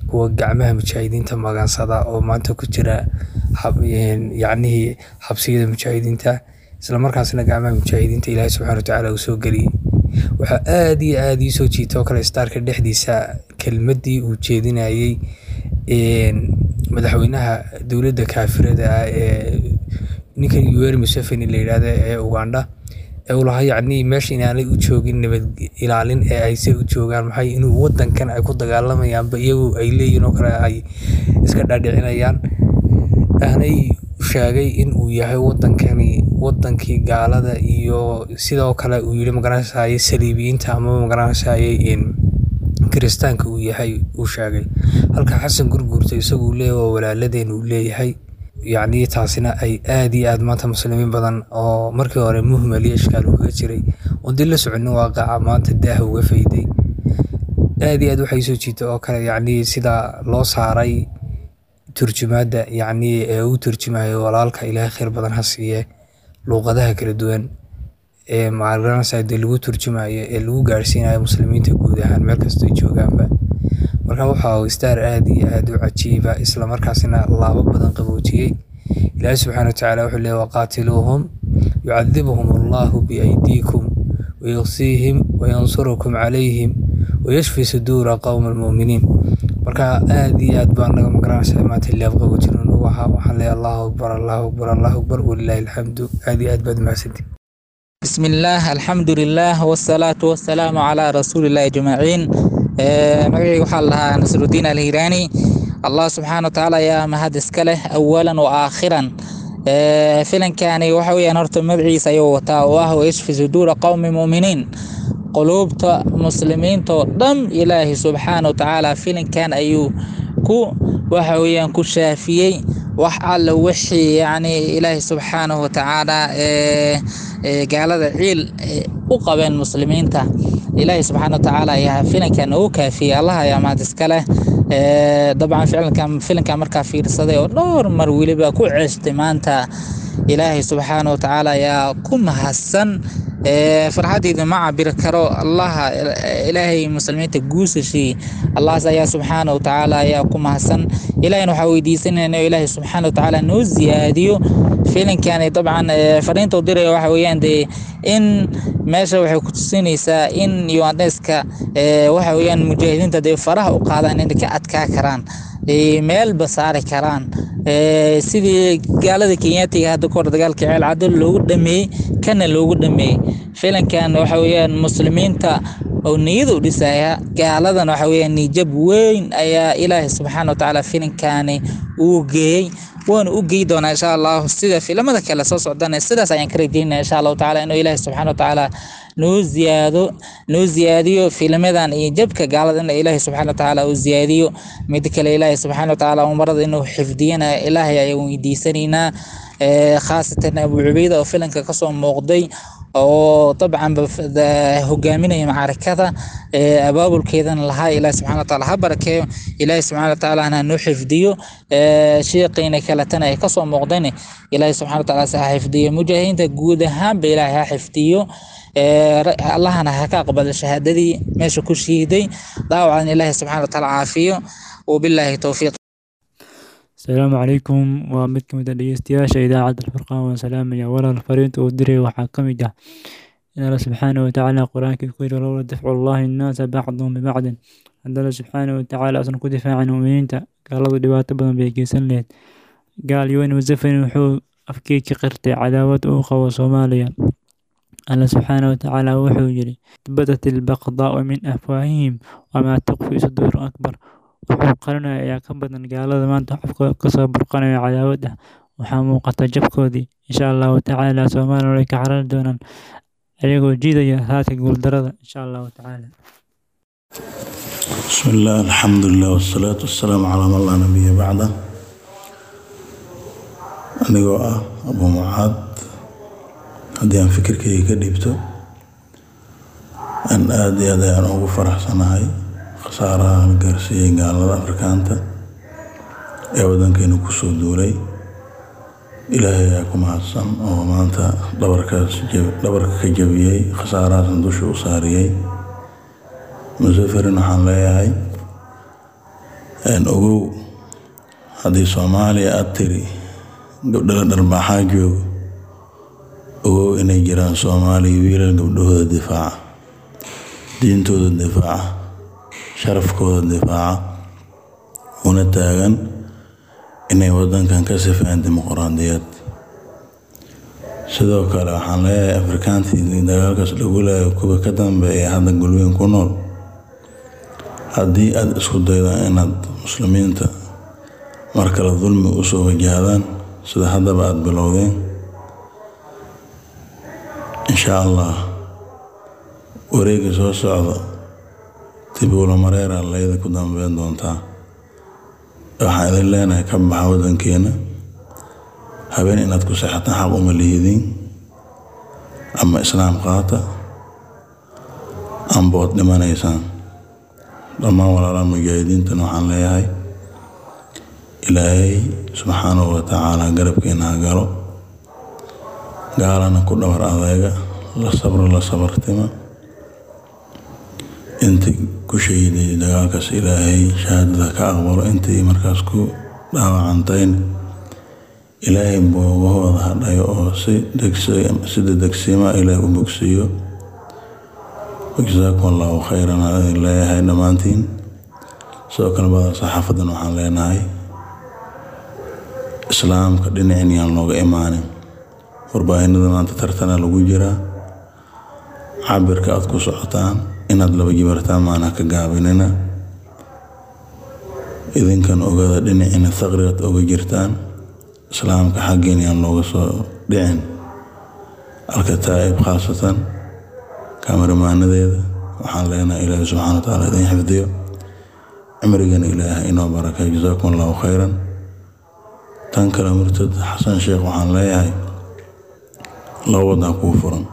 kuwa gacmaha mujaahidiinta magansada oo maanta ku jira yacnihii xabsiyada mujaahidiinta, islamarkaasna gacmaha mujaahidiinta Ilaahay subxaana watacaala uu soo geliyey. Waxaa aada iyo aada ii soo jiita oo kale starka dhexdiisa kelmaddii uu jeedinayey madaxweynaha dowladda kaafirada ah ee ninkan Yoweri Museveni la yidhaahdo ee Uganda, ee uu lahaa yacnii meesha inaanay u joogin nabad ilaalin ee ay se u joogaan maxay inuu wadankan ay ku dagaalamayaanba iyagu ay leeyihin oo kale ay iska dhaadhicinayaan, aanay sheegay in uu yahay wadankani wadankii gaalada, iyo sidoo kale uu yidhi magaranaysaye saliibiyiinta ama magaranaysaye kiristaanka uu yahay uu sheegay, halka Xasan Gurguurta isagu uu leeyahay waa walaaladeen uu leeyahay. Yacni taasina ay aada iyo aada maanta muslimiin badan oo markii hore muhmal iyo ishkaal uu kaga jiray oon dib la soconin waaqaca maanta daaha uga fayday. Aada iyo aad waxay soo jiitay oo kale yacni sida loo saaray turjumaadda, yacni ee uu turjumayo walaalka Ilaahay khayr badan ha siiye, luuqadaha kala duwan ee magaranaysa dee lagu turjumayo ee lagu gaarsiinayo muslimiinta guud ahaan meel kastoo ay joogaanba. Marka waxa uu star aada iyo aada u cajiiba, isla markaasina laabo badan qaboojiyey. Ilaahay subxaana watacaala wuxuu leeyahy waqaatiluuhum yucadibuhum allahu biaydiikum wayuqsiihim wayansurukum calayhim wayashfi suduura qowma almu'miniin. Marka aada iyo aad baa naga magaranaysa maanta laab qaboojin ugu ahaa. Waxaan leeyahay Allahu akbar, Allahu akbar, Allahu akbar, walilaahi alxamdu. Aada iyo aad baad mahadsantihi. بسم الله، الحمد لله، والصلاة والسلام على رسول الله أجمعين. Magacayga waxaa la dhahaa Nasrudiin Alhiraani. Allah subxaana wa tacaala ayaa mahad iska leh awalan wa aakhiran. Filankani waxa weeyaan horta magaciisa ayuu wataa oo ah wayashfi suduura qowmi mu'miniin. Quluubta muslimiinta oo dhan Ilaahi subxaana wa tacaala filankan ayuu ku waxa weeyaan ku shaafiyey wax alla wixii yacni Ilaahi subxaanahu wa tacaala gaalada ciil u qabeen muslimiinta. Ilaahi subxaana wa tacaala ayaa filankan ugu kaafiyey. Allah ayaa mahad iska leh. Dabcan ficilkan filankan markaa fiirsaday oo dhowr mar weliba ku ceeshtay maanta, Ilaahay subxaana wa tacaala ayaa ku mahadsan. Farxadeyda ma cabiri karo. Allaha Ilaahay muslimiinta guusashii Allahas ayaa subxaana wa tacaala ayaa ku mahadsan. Ilaahayna waxaa weydiisanayna Ilaahay subxaana wa tacaala noo ziyaadiyo filinkani. Dabcan fariinta u diraya waxa weeyaan dee in meesha waxay ku tusinaysaa in Yuandeska waxa weeyaan mujaahidiinta dee faraha u qaadaan inay ka adkaa karaan, meelba saari karaan, sidii gaalada Kenyaatiga hadda kahor dagaalka Ceel Caddo loogu dhameeyey kana loogu dhameeyey. Filankan waxa weeyaan muslimiinta oo niyada u dhisaya, gaaladan waxa weeyaan niyad weyn ayaa Ilaahay subxaana wa tacaala filankani uu geeyey, waana u geey doonaa insha Allah sida filamada kale soo socdana. Sidaas ayaan ka rajeynaya insha Allahu tacaala inuu Ilaahay subxaana wa tacaala noo ziyaado noo ziyaadiyo filmadan iyo jabka gaalada in Ilaahay subxaana wa tacaala uu ziyaadiyo. Mid kale, Ilaahay subxaana wa tacaala umarada inuu xifdiyana Ilaahay ayaan weydiisanaynaa, khaasatan Abu Cubayda oo filanka kasoo muuqday oo dabcan hogaaminaya macaarakada abaabulkeedana lahaa. Ilaahi subxana watacaala ha barakeeyo, Ilaahi subxana watacaala ha noo xifdiyo. Sheeqiina kaletana ay kasoo muuqdeen Ilaahi subxana watacaala ha xifdiyo. Mujaahidiinta guud ahaanba Ilaahi ha xifdiyo, Allahna ha ka aqbalo shahaadadii meesha ku shiiday, daawacan Ilaahi subxana watacaala caafiyo. Wabilaahi towfiiq. Asalaamu calaykum. Waa mid ka mid ah dhegeystayaasha idaacadda Alfurqaan. Waan salaamaya walaal. Fariinta uu diray waxaa ka mid ah in Alla subxaana watacaala qur-aankii ku yidhi lowla dafcu llahi nnaasa bacdahum bibacdin. Haddii Alla subxaana watacaala uusan ku difaacin mu'miniinta, gaaladu dhibaato badan bay geysan lahayd. Gaal Yoweri Museveni wuxuu afkii ka qirtay cadaawad uu qabo Soomaaliya. Alla subxaanahu watacaala wuxuu yidhi: badat albaqdaa'u min afwaahihim wamaa tukhfi suduuruhum akbar. Wuxuu qarinaya ayaa ka badan gaalada maanta afkooda kasoo burqanaya cadaawad ah. Waxaa muuqata jabkoodii. Insha Allahu tacaala Soomaaliya way ka carari doonaan ayagoo jiidaya raadka guuldarada, insha Allahu tacaala. بسم الله، الحمد لله، والصلاة والسلام على من لا نبي بعده. Anigoo ah Abu Mucaad, haddii aan fikirkayga ka dhiibto, aan aada iyo aad ayaan ugu faraxsanahay khasaaraha la gaarsiiyey gaalada Afrikaanta ee waddankeena kusoo duulay. Ilaahay ayaa ku mahadsan oo maanta dhabarkaas dhabarka ka jabiyey, khasaarahaasna dusha u saariyey. Musafarin waxaan leeyahay, ogow, haddii Soomaaliya aad tiri gabdhala dharbaaxaa joogo, ogow inay jiraan Soomaaliya wiilal gabdhahooda difaaca, diintooda difaaca, sharafkooda difaaca, una taagan inay waddankan ka sifeeyaan dimuqraadiyad. Sidoo kale waxaan leeyahay Afrikaantii dagaalkaas lagu laayo, kuwa ka dambeeya hadda Golweyn ku nool, haddii aad isku daydaan inaad muslimiinta mar kale dulmi usoo wajahdaan sida haddaba aada bilowdeen, insha Allah wareegga soo socda Tibuula Mareera layda ku dambeyn doontaa. Waxaan idin leenahay, ka baxa waddankeena. Habeen inaad ku seexataan xaq uma lihidiin. Ama islaam qaata ambood dhimanaysaan. Dhammaan walaalaha mujaahidiintana waxaan leeyahay, Ilaahay subxaanahu wa tacaala garabkeena ha galo, gaalana ku dhabar adeega, la sabro, la sabartima. Intii ku shahiiday dagaalkaas Ilaahay shahaadada ka aqbalo, intii markaas ku dhaawacantayn Ilaahay boogahooda ha dhayo oo si si dedegsiima Ilaahay u bogsiiyo. Wajazaakum Allahu khayran aan idin leeyahay dhammaantiin. Sidoo kale badan saxaafadan waxaan leenahay, islaamka dhinacin yaan looga imaanin. Warbaahinada maanta tartana lagu jiraa. Cabirka aad ku socotaan inaad laba jibartaan maana ka gaabinina. Idinkan ogaada dhinacina thaqrigaad oga jirtaan, islaamka xaggiin yaan looga soo dhicin. Alkataa'ib khaasatan kameramaanadeeda waxaan leenahay, Ilaahay subxana wa tacaala idin xifdiyo, cimrigana Ilaahay inoo barakay. Jazaakum Allahu khayran. Tan kale, murtad Xasan Sheekh waxaan leeyahay, laba wadaa kuu furan: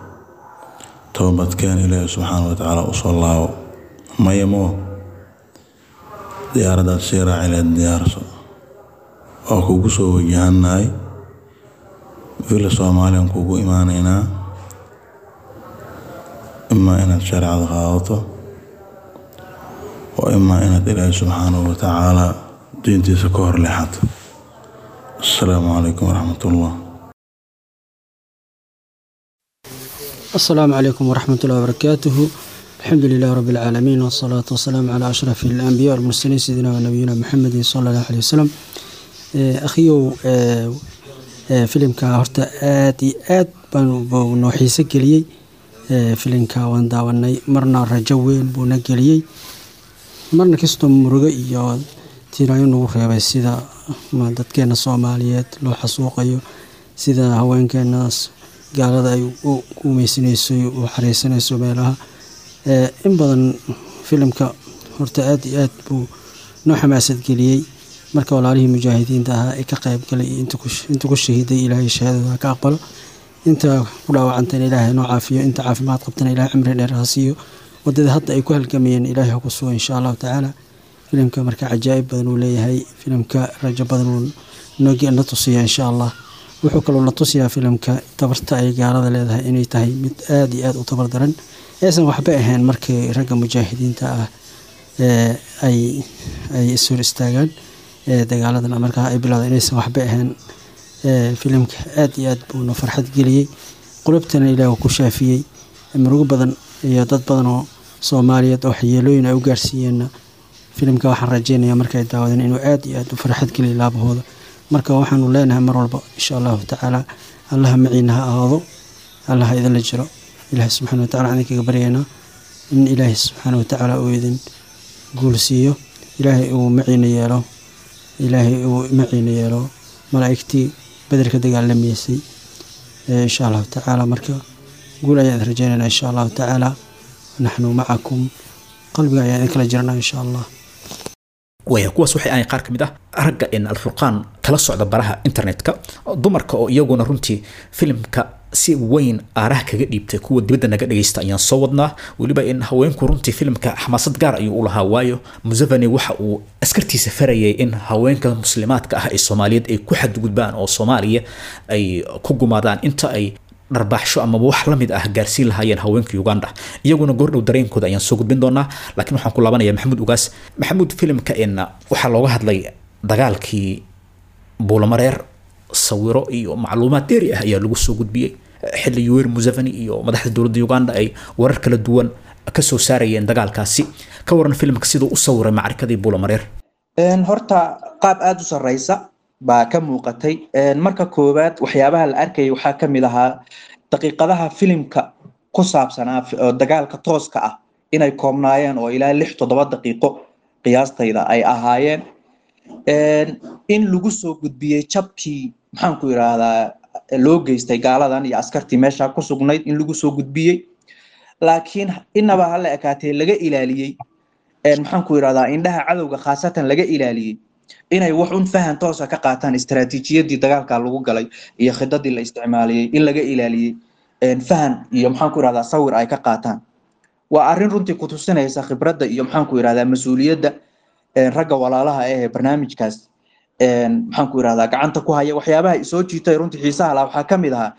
toobadkeen, Ilaahay subxaana wa tacaala usoo laabo. Maya moo diyaaraddaad sii raaci lahayd diyaarso, waa kugu soo wajahannahay. Villa Soomaaliyaan kugu imaanaynaa, imaa inaad shareecada qaadato oo imaa inaad Ilaahay subxaanahu wa tacaala diintiisa ka hor leexato. Assalaamu calaykum waraxmatullah. السلام عليكم ورحمة الله وبركاته. الحمد لله رب العالمين، والصلاة والسلام على أشرف الأنبياء والمرسلين، سيدنا ونبينا محمد صلى الله عليه وسلم. أخيو، filimka horta aad iyo aad baan buu noo xiise geliyey. Filimka waan daawanay, marna rajo weyn buu na geliyey, marna kastoo murugo iyo tiiraayo nagu reebay, sida dadkeena Soomaaliyeed loo xasuuqayo, sida haweenkeenaas gaalada ay u guumeysanayso, u xareysanayso meelaha in badan. Filimka horta aad iyo aad buu noo xamaasad geliyey. Marka walaalihii mujaahidiinta ahaa ee ka qayb galay iyo inta ku shahiiday, Ilaahay shahaadada ha ka aqbalo, inta ku dhaawacantayna Ilaahay noo caafiyo, inta caafimaad qabtana Ilaahay cimri dheer ha siiyo, wadada hadda ay ku halgamayeen Ilaahay ha ku sugo, insha Allahu tacaala. Filimka marka cajaa'ib badan uu leeyahay. Filimka rajo badan uu na tusiya, insha Allah. Wuxuu kaloo na tusiyaa filimka tabarta ay gaalada leedahay inay tahay mid aad iyo aad u tabar daran, aysan waxba ahayn markii ragga mujaahidiinta ah ay ay is hor istaagaan dagaaladan markaa ay bilowda, inaysan waxba ahayn. Filimka aad iyo aad buu na farxad geliyey, qulubtana Ilaah ku shaafiyey. Murugo badan iyo dad badan oo Soomaaliyeed oo waxyeelooyin ay u gaarsiiyeenna, filimka waxaan rajeynayaa markay daawadeen inuu aad iyo aad u farxad geliyo laabahooda. Marka waxaanu leenahay mar walba insha Allahu tacaala Allaha maciina ha ahaado, Allaha idinla jiro. Ilaahay subxaana wa tacaala waxaan idinkaga baryaynaa in Ilaahay subxaana wa tacaala uu idin guul siiyo, Ilaahay uu maciina yeelo, Ilaahay uu maciina yeelo malaa'igtii Beder ka dagaalamaysay insha Allahu tacaala. Marka guul ayaan idin rajaynaynaa insha Allahu tacaala. Naxnu macakum, qalbiga ayaan idin kala jirnaa insha Allah. Waya kuwaas waxay ahayn qaar ka mid ah ragga in Alfurqaan kala socda baraha internetka. Dumarka oo iyaguna runtii filimka si weyn aaraha kaga dhiibtay kuwa dibadda naga dhagaysta ayaan soo wadnaa. Weliba in haweenku runtii filimka xamaasad gaar ayuu u lahaa, waayo Museveni waxa uu askartiisa farayay in haweenka muslimaadka ah ee Soomaaliyeed ay ku xadgudbaan oo Soomaaliya ay ku gumaadaan inta ay dharbaaxsho amaba wax la mid ah gaarsiin lahaayeen haweenka Uganda. Iyaguna goordhow dareenkooda ayaan soo gudbin doonaa, laakiin waxaan ku laabanayaa Maxamuud Ugaas. Maxamuud, filimka in waxaa looga hadlay dagaalkii Buulamareer, sawiro iyo macluumaad dheeri ah ayaa lagu soo gudbiyey xilli Yoweri Museveni iyo madaxda dowladda Uganda ay warar kala duwan ka soo saarayeen dagaalkaasi. Ka waran filimka siduu u sawiray macrikadii Buulamareer? Horta qaab aada u sarreysa baa ka muuqatay. Marka koowaad waxyaabaha la arkayay waxaa ka mid ahaa daqiiqadaha filimka ku saabsanaa dagaalka tooska ah inay koobnaayeen oo ilaa lix toddoba daqiiqo qiyaastayda ay ahaayeen, in lagu soo gudbiyey jabkii maxaan ku yiraahdaa loo geystay gaaladan iyo askartii meesha ku sugnayd in lagu soo gudbiyey, laakiin inaba ha la ekaatee laga ilaaliyey maxaan ku yiraahdaa indhaha cadowga khaasatan laga ilaaliyey inay wax un fahan toosa ka qaataan istaraatiijiyadii dagaalka lagu galay iyo khidadii la isticmaaliyey, in laga ilaaliyey fahan iyo maxaan ku yirahdaa sawir ay ka qaataan. Waa arrin runtii ku tusinaysa khibradda iyo maxaan ku yirahdaa mas-uuliyadda ragga walaalaha ah ee barnaamijkaas maxaan ku yirahdaa gacanta ku haya. Waxyaabaha isoo jiitay runtii xiisaha lahaa waxaa ka mid ahaa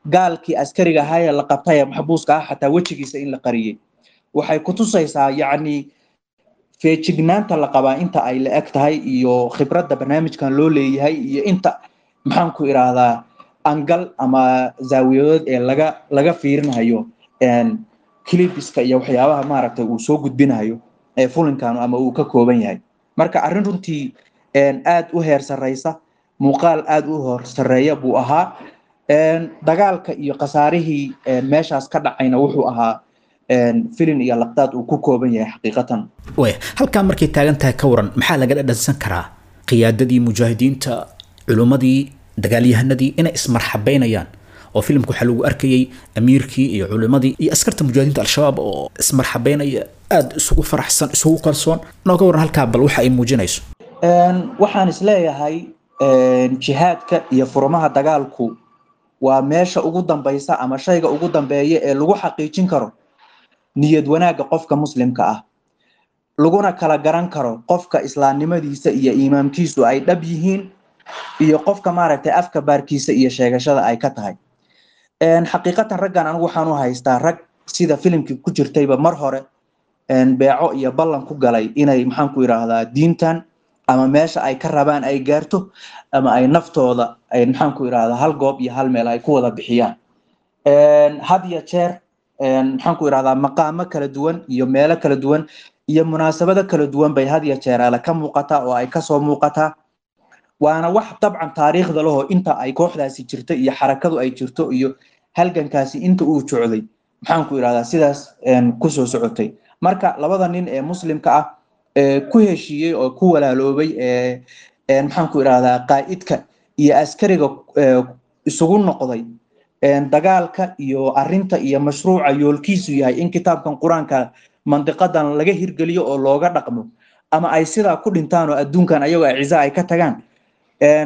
gaalkii askariga ahaa ee la qabtay ee maxbuuska ah xataa wejigiisa in la qariyey. Waxay ku tusaysaa yacni feejignaanta la qabaa inta ay la eg tahay iyo khibradda barnaamijkan loo leeyahay iyo inta maxaan ku iraahdaa angal ama zaawiyadood ee laga laga fiirinayo clipiska iyo waxyaabaha maaragtay uu soo gudbinayo ee fulinkan ama uu ka kooban yahay. Marka arrin runtii aad u heer sarreysa, muuqaal aad u hor sarreeya buu ahaa. Dagaalka iyo khasaarihii meeshaas ka dhacayna wuxuu ahaa filin iyo laqdaad uu ku kooban yahay xaqiiqatan. Waya halkaa markay taagan tahay, ka waran maxaa laga dhadhansan karaa qiyaadadii mujaahidiinta, culimmadii, dagaalyahanadii inay ismarxabeynayaan? Oo filimka waxaa lagu arkayay amiirkii iyo culimmadii iyo askarta mujaahidiinta Al-Shabaab oo ismarxabeynaya, aada isugu faraxsan, isugu kalsoon. Nooga waran halkaa bal waxa ay muujinayso. Waxaan isleeyahay jihaadka iyo furmaha dagaalku waa meesha ugu dambaysa ama shayga ugu dambeeya ee lagu xaqiijin karo niyad wanaagga qofka muslimka ah, laguna kala garan karo qofka islaamnimadiisa iyo iimaamkiisu ay dhab yihiin iyo qofka maaragtay afka baarkiisa iyo sheegashada ay ka tahay. Xaqiiqatan raggan anigu waxaan u haystaa rag sida filimkii ku jirtayba mar hore beeco iyo ballan ku galay inay maxaan ku yiraahdaa diintan ama meesha ay ka rabaan ay gaarto ama ay naftooda ay maxaan ku yiraahdaa hal goob iyo hal meel ay ku wada bixiyaan. Had iyo jeer maxaan ku yiraahdaa maqaamo kala duwan iyo meelo kala duwan iyo munaasabado kala duwan bay had iyo jeer ale ka muuqataa oo ay kasoo muuqataa. Waana wax dabcan taariikhda lahoo inta ay kooxdaasi jirto iyo xarakadu ay jirto iyo halgankaasi inta uu jocday maxaan ku yiraahdaa sidaas kusoo socotay. Marka labada nin ee muslimka ah ee ku heshiiyey oo ku walaaloobay ee maxaan ku yiraahdaa qaa'idka iyo askariga isugu noqday dagaalka iyo arrinta iyo mashruuca yoolkiisu yahay in kitaabkan Qur-aanka mandiqadan laga hirgeliyo oo looga dhaqmo ama ay sidaa ku dhintaan oo adduunkan ayagoo aciza ay ka tagaan,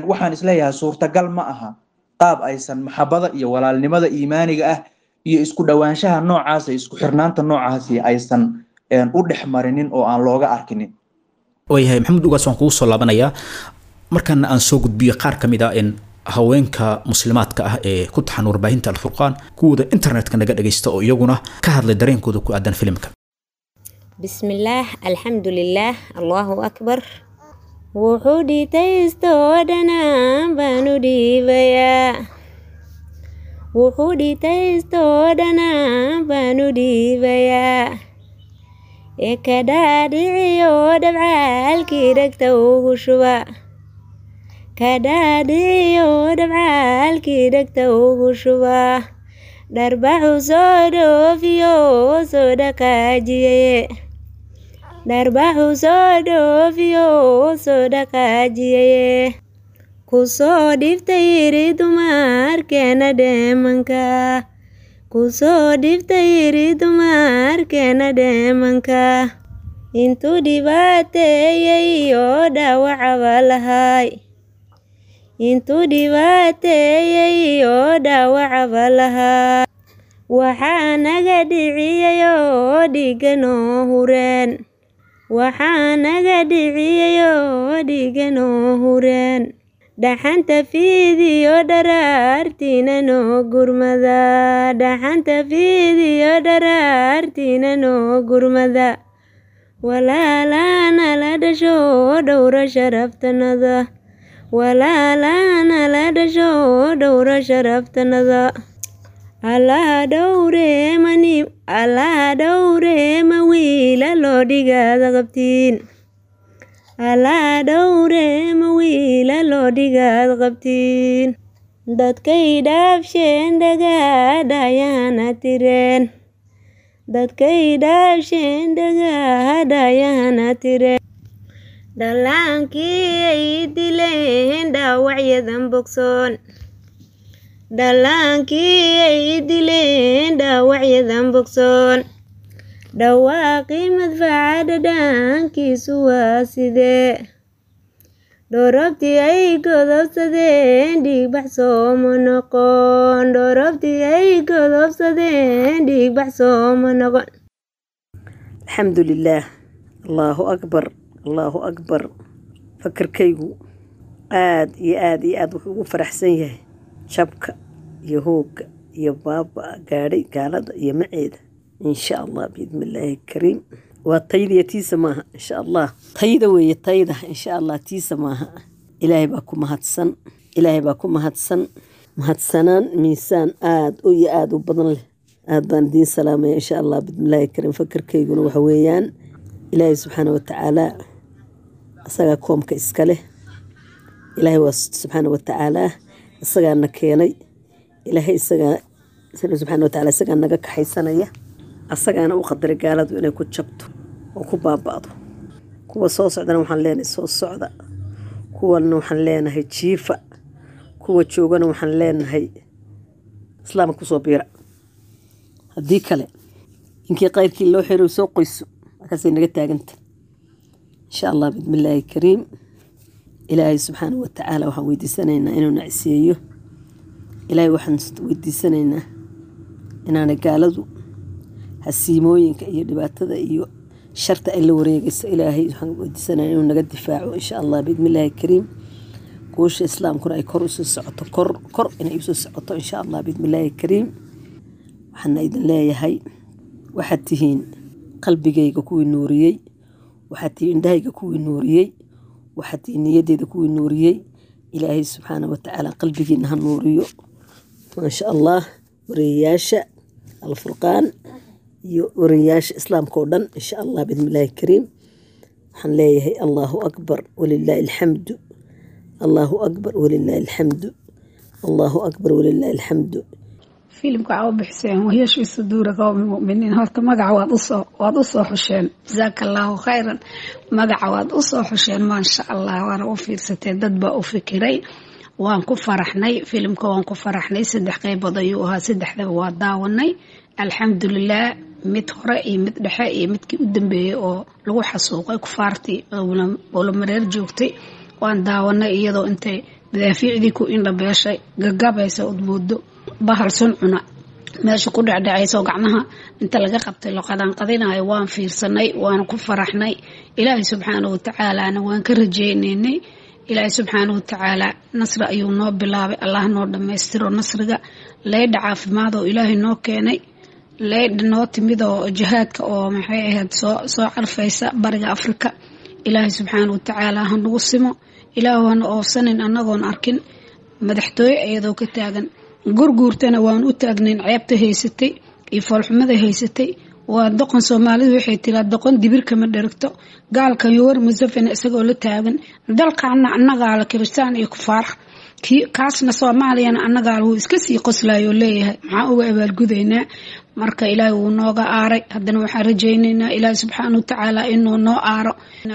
waxaan isleeyahay suurtagal ma aha qaab aysan maxabada iyo walaalnimada iimaaniga ah iyo isku dhowaanshaha noocaas iyo isku xirnaanta noocaasi aysan u dhex marinin oo aan looga arkinin. Waayahay Maxamuud Ugaas, waan kugu soo laabanayaa markaana aan soo gudbiyo qaar ka mid ah in haweenka muslimaadka ah ee ku taxan warbaahinta Alfurqaan kuwooda internetka naga dhagaysta oo iyaguna ka hadlay dareenkooda ku aadan filimka. Bismillaah, alxamdulilaah, Allahu akbar. Wuxuu dhitaystoo dhanaan baan u dhiibayaa, wuxuu dhitaystoo dhanaan baan u dhiibayaa, ee ka dhaadhiciyo dhabcaalkii dhegta ugu shuba, Ka dhaadhiyo dhabcaalkii dhegta ugu shuba. Dharbaxu soo dhoofiyo soo dhaqaajiyaye. Dharbaxu soo dhoofiyo soo dhaqaajiyaye. Ku soo dhiftay yiri dumarkeena dheemanka. Ku soo dhiftay yiri dumarkeena dheemanka. Intuu dhibaateeyey oo dhaawacaba lahay. Intuu dhibaateeyey oo dhaawacaba lahaa. Waxaa naga dhiciyey oo dhiigga noo hureen. Waxaa naga dhiciyey oo dhiigga noo hureen. Dhaxanta fiidiyo dharaartiina noo gurmada. Dhaxanta fiidiyo dharaartiina noo gurmada. Walaalana la dhasho dhowra sharaftanada. Walaalana la dhasho dhowra sharaftanada. Allaha dhowre mani Allaha dhowre ma wiila loo dhigaada qabtiin. Allaha dhowre ma wiila loo dhigaad qabtiin. Dadkay dhaafsheen dhagaadhayana tireen. Dadkay dhaafsheen dhagaadhayana tireen. Dhallaankii ay dileen dhaawacyadan bogsoon. Dhallaankii ay dileen dhaawacyadan bogsoon. Dhawaaqii madfaca dhadhankiisu waa sidee. Dhoorobtii ay godobsadeen dhiigbax sooma noqon. Dhoorobtii ay godobsadeen dhiigbax sooma noqon. Alxamdu lilaah, Allahu akbar, Allahu akbar. Fakarkaygu aad iyo aad iyo aad wuxuu ugu faraxsan yahay jabka iyo hoogga iyo baaba gaadhay gaalada iyo maceeda, insha Allah biidnillaahi kariim. Waa tayda iyo tiisa maaha, insha Allah tayda weeye, tayda insha Allah, tiisa maaha. Ilaahay baa ku mahadsan, Ilaahay baa ku mahadsan, mahadsanaan miisaan aad u iyo aad u badan leh. Aad baan idiin salaamaya, insha Allah biidnillaahi kariim. Fakarkayguna waxa weeyaan Ilaahay subxaana watacaala isagaa koomka iska leh. Ilaahay waa subxaana watacaala, isagaana keenay. Ilaahay isagaa subxaana watacaala isagaa naga kaxaysanaya, asagaana u qadaray gaaladu inay ku jabto oo ku baaba'do. Kuwa soo socdana waxaan leenahay soo socda, kuwana waxaan leenahay jiifa, kuwa joogana waxaan leenahay islaamka kusoo biira. Haddii kale inkii qayrkii loo xiro soo qoyso, markaasay naga taaganta, insha Allah biidnillaahi kariim. Ilaahay subxaana watacaala waxaan weydiisanaynaa inuu nacsiyeeyo. Ilaahay waxaan weydiisanaynaa inaanay gaaladu hasiimooyinka iyo dhibaatada iyo sharta ay la wareegayso. Ilaahay waxaan weydiisanaynaa inuu naga difaaco, insha Allah biidnillaahi kariim. Guusha islaamkuna ay kor usoo socoto, kor kor inay usoo socoto, insha Allah biidnillaahi kariim. Waxaana idin leeyahay waxaad tihiin qalbigayga kuwii nuuriyey, waxaad tihiin indhahayga kuwii nuuriyey, waxaad tihiin niyadeyda kuwii nuuriyey. Ilaahay subxaana watacaala qalbigiina ha nuuriyo, maasha Allah. Wariyayaasha Alfurqaan iyo wariyayaasha islaamka oo dhan, insha Allah biidnillaahi kariim, waxaan leeyahay Allahu akbar walilaahi alxamdu, Allahu akbar walilaahi alxamdu, Allahu akbar walilaahi alxamdu. Filimka waxaa u bixiseen Wayashfi Suduura Qowmi Muminiin. Horta magaca waad usoo waad usoo xusheen, jazaaka Allahu khayran. Magaca waad usoo xusheen, maasha Allah, waana u fiirsateen, dad baa u fikiray. Waan ku faraxnay filimka, waan ku faraxnay. Saddex qeybood ayuu ahaa, saddexdaba waa daawanay, alxamdulilah. Mid hore iyo mid dhexe iyo midkii u dambeeyey oo lagu xasuuqay kufaartii Buulamareer joogtay waan daawanay, iyadoo intay madaafiicdii ku indhabeeshay gagabaysa udmoodo bahal sun cuna meesha ku dhecdhecayso, gacmaha inta laga qabtay lo qadanqadinayo. Waan fiirsanay, waana ku faraxnay. Ilaahay subxaana watacaalana waan ka rajeynaynay. Ilaahay subxaana watacaala nasri ayuu noo bilaabay, Allah noo dhammaystiro nasriga. Leydha caafimaad oo Ilaahay noo keenay, leydha noo timid oo jihaadka oo maxay ahayd soo soo carfaysa bariga Afrika, Ilaahay subxaana watacaala ha nagu simo. Ilaahu hana oofsanin annagoon arkin madaxtooye iyadoo ka taagan. Gurguurtana waan u taagnayn, ceebta haysatay iyo foolxumada haysatay Waa doqon Soomaalidu waxay tiraa doqon dibir kama dheragto. Gaalkan Yoweri Museveni isagoo la taagan dalkaana annagaa la kiristaan iyo kufaar kaasna Soomaaliyana annagaa wuu iska sii qoslayo leeyahay, maxaa uga abaalgudaynaa? Marka Ilaahay wuu nooga aaray. Haddana waxaan rajaynaynaa Ilaahay subxaana watacaala inuu noo aaro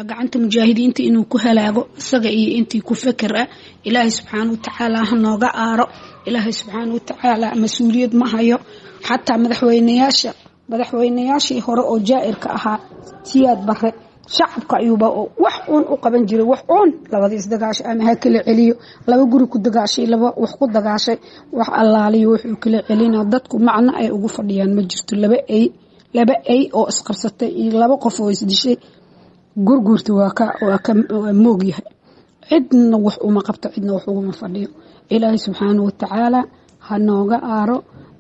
gacanta mujaahidiinta, inuu ku halaago isaga iyo intii ku feker ah. Ilaahay subxaana watacaala ha nooga aaro. Ilaahay subxaana watacaala mas-uuliyad ma hayo. Xataa madaxweynayaasha madaxweynayaashii hore oo jaa-irka ahaa, Siyaad Bare, shacabka ayuuba wax uun u qaban jiray, wax uun labadii isdagaashay ama ha kala celiyo, laba guri ku dagaashay, laba wax ku dagaashay, wax allaaliyo wuxuu kala celina dadku macno ay ugu fadhiyaan ma jirto. Laba ay laba ay oo isqabsatay iyo laba qof oo isdishay gurguurta waa ka waa ka moog yahay. Cidna wax uma qabto, cidna wax uguma fadhiyo. Ilaahay subxaana watacaala ha nooga aaro.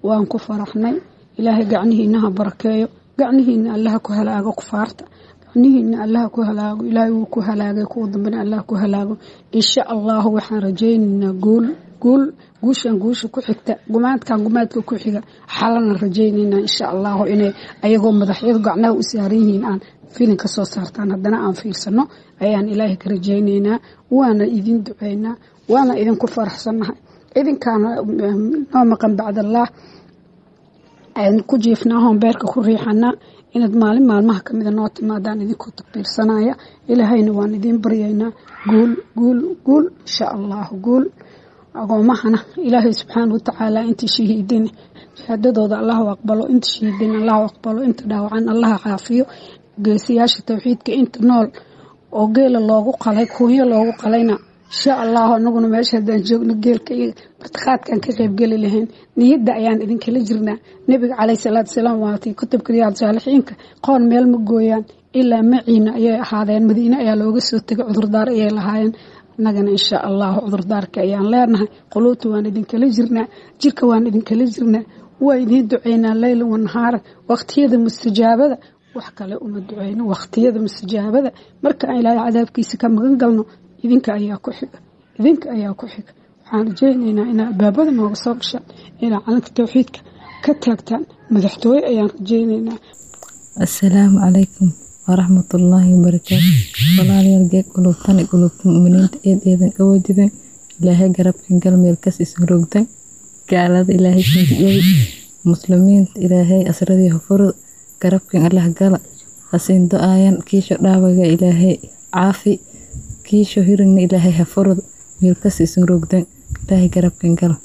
Waan ku faraxnay. Ilaahay gacnihiina ha barakeeyo, gacnihiina Allaha ku halaago kufaarta, gacnihiina Allaha ku halaago. Ilaahay wuu ku halaagay, kuwa dambena Allaha ku halaago insha Allahu. Waxaan rajaynaynaa guul, guul, guushan guusha ku xigta, gumaadkan gumaadka ku xiga xalana rajaynaynaa insha Allahu inay ayagoo madaxyadu gacnaha u saaran yihiin aan filin ka soo saartaan, haddana aan fiirsano ayaan Ilaahay ka rajaynaynaa. Waana idin duceynaa, waana idinku faraxsannahay. Idinkaana noo maqan bacdallaah ku jiifnaa, hoon beerka ku riixanaa inaad maalin maalmaha kamida noo timaadaan idinkoo takbiirsanaya. Ilaahayna waan idiin baryaynaa guul, guul, guul insha Allahu, guul. Agoomahana Ilaahay subxaana watacaala intii shahiidin shahaadadooda Allahu aqbalo, inta shahiidin Allahu aqbalo, inta dhaawacan Allaha caafiyo. Geesiyaasha tawxiidka inta nool oo geela loogu qalay, kuunyo loogu qalayna insha Allahu anaguna meesha haddaan joogno geelka iyo martiqaadkan ka qaybgeli lahayn. Niyadda ayaan idinkala jirnaa. Nebiga caleyhi salaatu wasalaam waatay kutubka Riyaad Saalixiinka, qoon meel ma gooyaan ilaa maciina ayay ahaadeen. Madiine ayaa looga soo tegay, cudurdaar ayay lahaayeen. Annagana insha Allahu cudurdaarka ayaan leenahay. Quluubta waan idinkala jirnaa, jirka waan idinkala jirnaa, waa idiin duceynaa leyla wanahaara waqtiyada mustajaabada. Wax kale uma duceyno waqtiyada mustajaabada. Marka aan Ilaahay cadaabkiisa ka magan galno idinka ayaa ku xiga, idinka ayaa ku xiga. Waxaan rajaynaynaa inaa albaabada nooga soo gashaan, inaa calanka tawxiidka ka taagtaan madaxtooye ayaan rajaynaynaa. Assalaamu calaykum waraxmatullaahi wabarakaatu. Walaalayaal, geed qulubtan qulubta mu'miniinta eed eedan qaboojideen. Ilaahay garabkan gal meel kas isin rogtan. Gaalada Ilaahay sinjiyay, muslimiinta Ilaahay asradii hafuro, garabkan Allah gala hasiin do-aayan. Kiisho dhaawaga Ilaahay caafi, kiisho hirigna Ilaahay hafuro. Meel kas isin rogdan Ilaahay garabkan gala.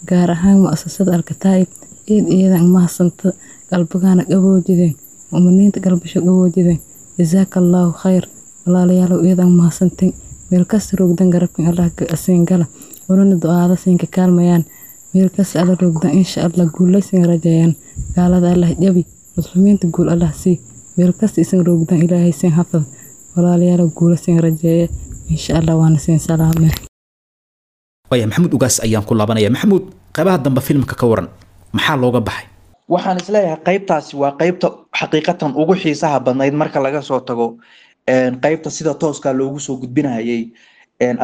Gaar ahaan mu'asasada Alkataa'ib eed iyadan mahadsanta, qalbigana qaboojideen, mu'miniinta qalbisho qaboojideen. Jazaaka Allahu khayr. Walaalayaalow, iyadan mahadsantiin. Meel kasta rogdan garabkan Allah siin gala, walana du'aada siinka kaalmayaan. Meel kasta alla rogdan insha Allah guulaysin rajayaan. Gaalada Allah jabi, muslimiinta guul Allah sii. Meel kasta isin rogdan Ilaahay siin xafad. Walaalayaalow, guula siin rajeeye insha Allah, waana siin salaameen. Waaya, Maxamuud Ugaas ayaan ku laabanaya. Maxamuud, qaybaha dambe filmka ka waran, maxaa looga baxay? Waxaan isleeyahay qaybtaasi waa qaybta xaqiiqatan ugu xiisaha badnayd marka laga soo tago qaybta sida tooska loogu soo gudbinayay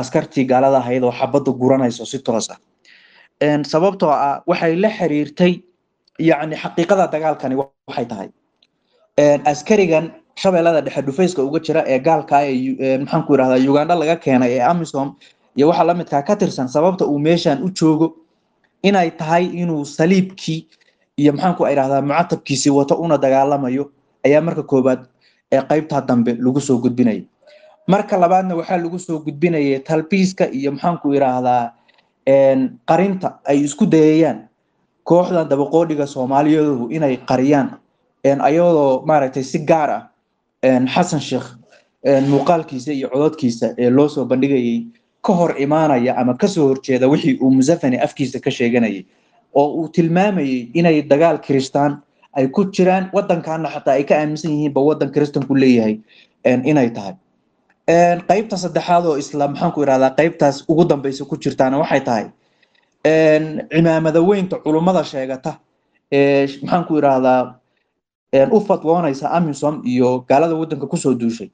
askartii gaalada ahayd oo xabadda guranayso si toos ah, sababtoo ah waxay la xiriirtay yacni xaqiiqada dagaalkani. Waxay tahay askarigan Shabeellada Dhexe dhufayska uga jira ee gaalka ee maxaan ku yidhahdaa Uganda laga keenay ee AMISOM iyo waxa la midkaa ka tirsan, sababta uu meeshan u joogo inay tahay inuu saliibkii iyo maxaan ku idhahdaa mucatabkiisii wato una dagaalamayo ayaa marka koobaad ee qaybtaa dambe lagu soo gudbinayay. Marka labaadna waxaa lagu soo gudbinayay talbiiska iyo maxaan ku idhaahdaa qarinta ay isku dayayaan kooxdan dabaqoodhiga Soomaaliyaduhu inay qariyaan, ayadoo maaragtay si gaar ah Xasan Sheekh muuqaalkiisa iyo cododkiisa ee loo soo bandhigayay ka hor imaanaya ama kasoo horjeeda wixii uu Museveni afkiisa ka sheeganayay oo uu tilmaamayay inay dagaal kiristaan ay ku jiraan, wadankaana xataa ay ka aaminsan yihiinba wadan kiristanku leeyahay inay tahay. Qaybta saddexaad oo isla maxaan ku idhahdaa qaybtaas ugu dambeysa ku jirtaana waxay tahay cimaamada weynta culummada sheegata ee maxaan ku idhahdaa u fatwoonaysa AMISOM iyo gaalada wadanka kusoo duushay,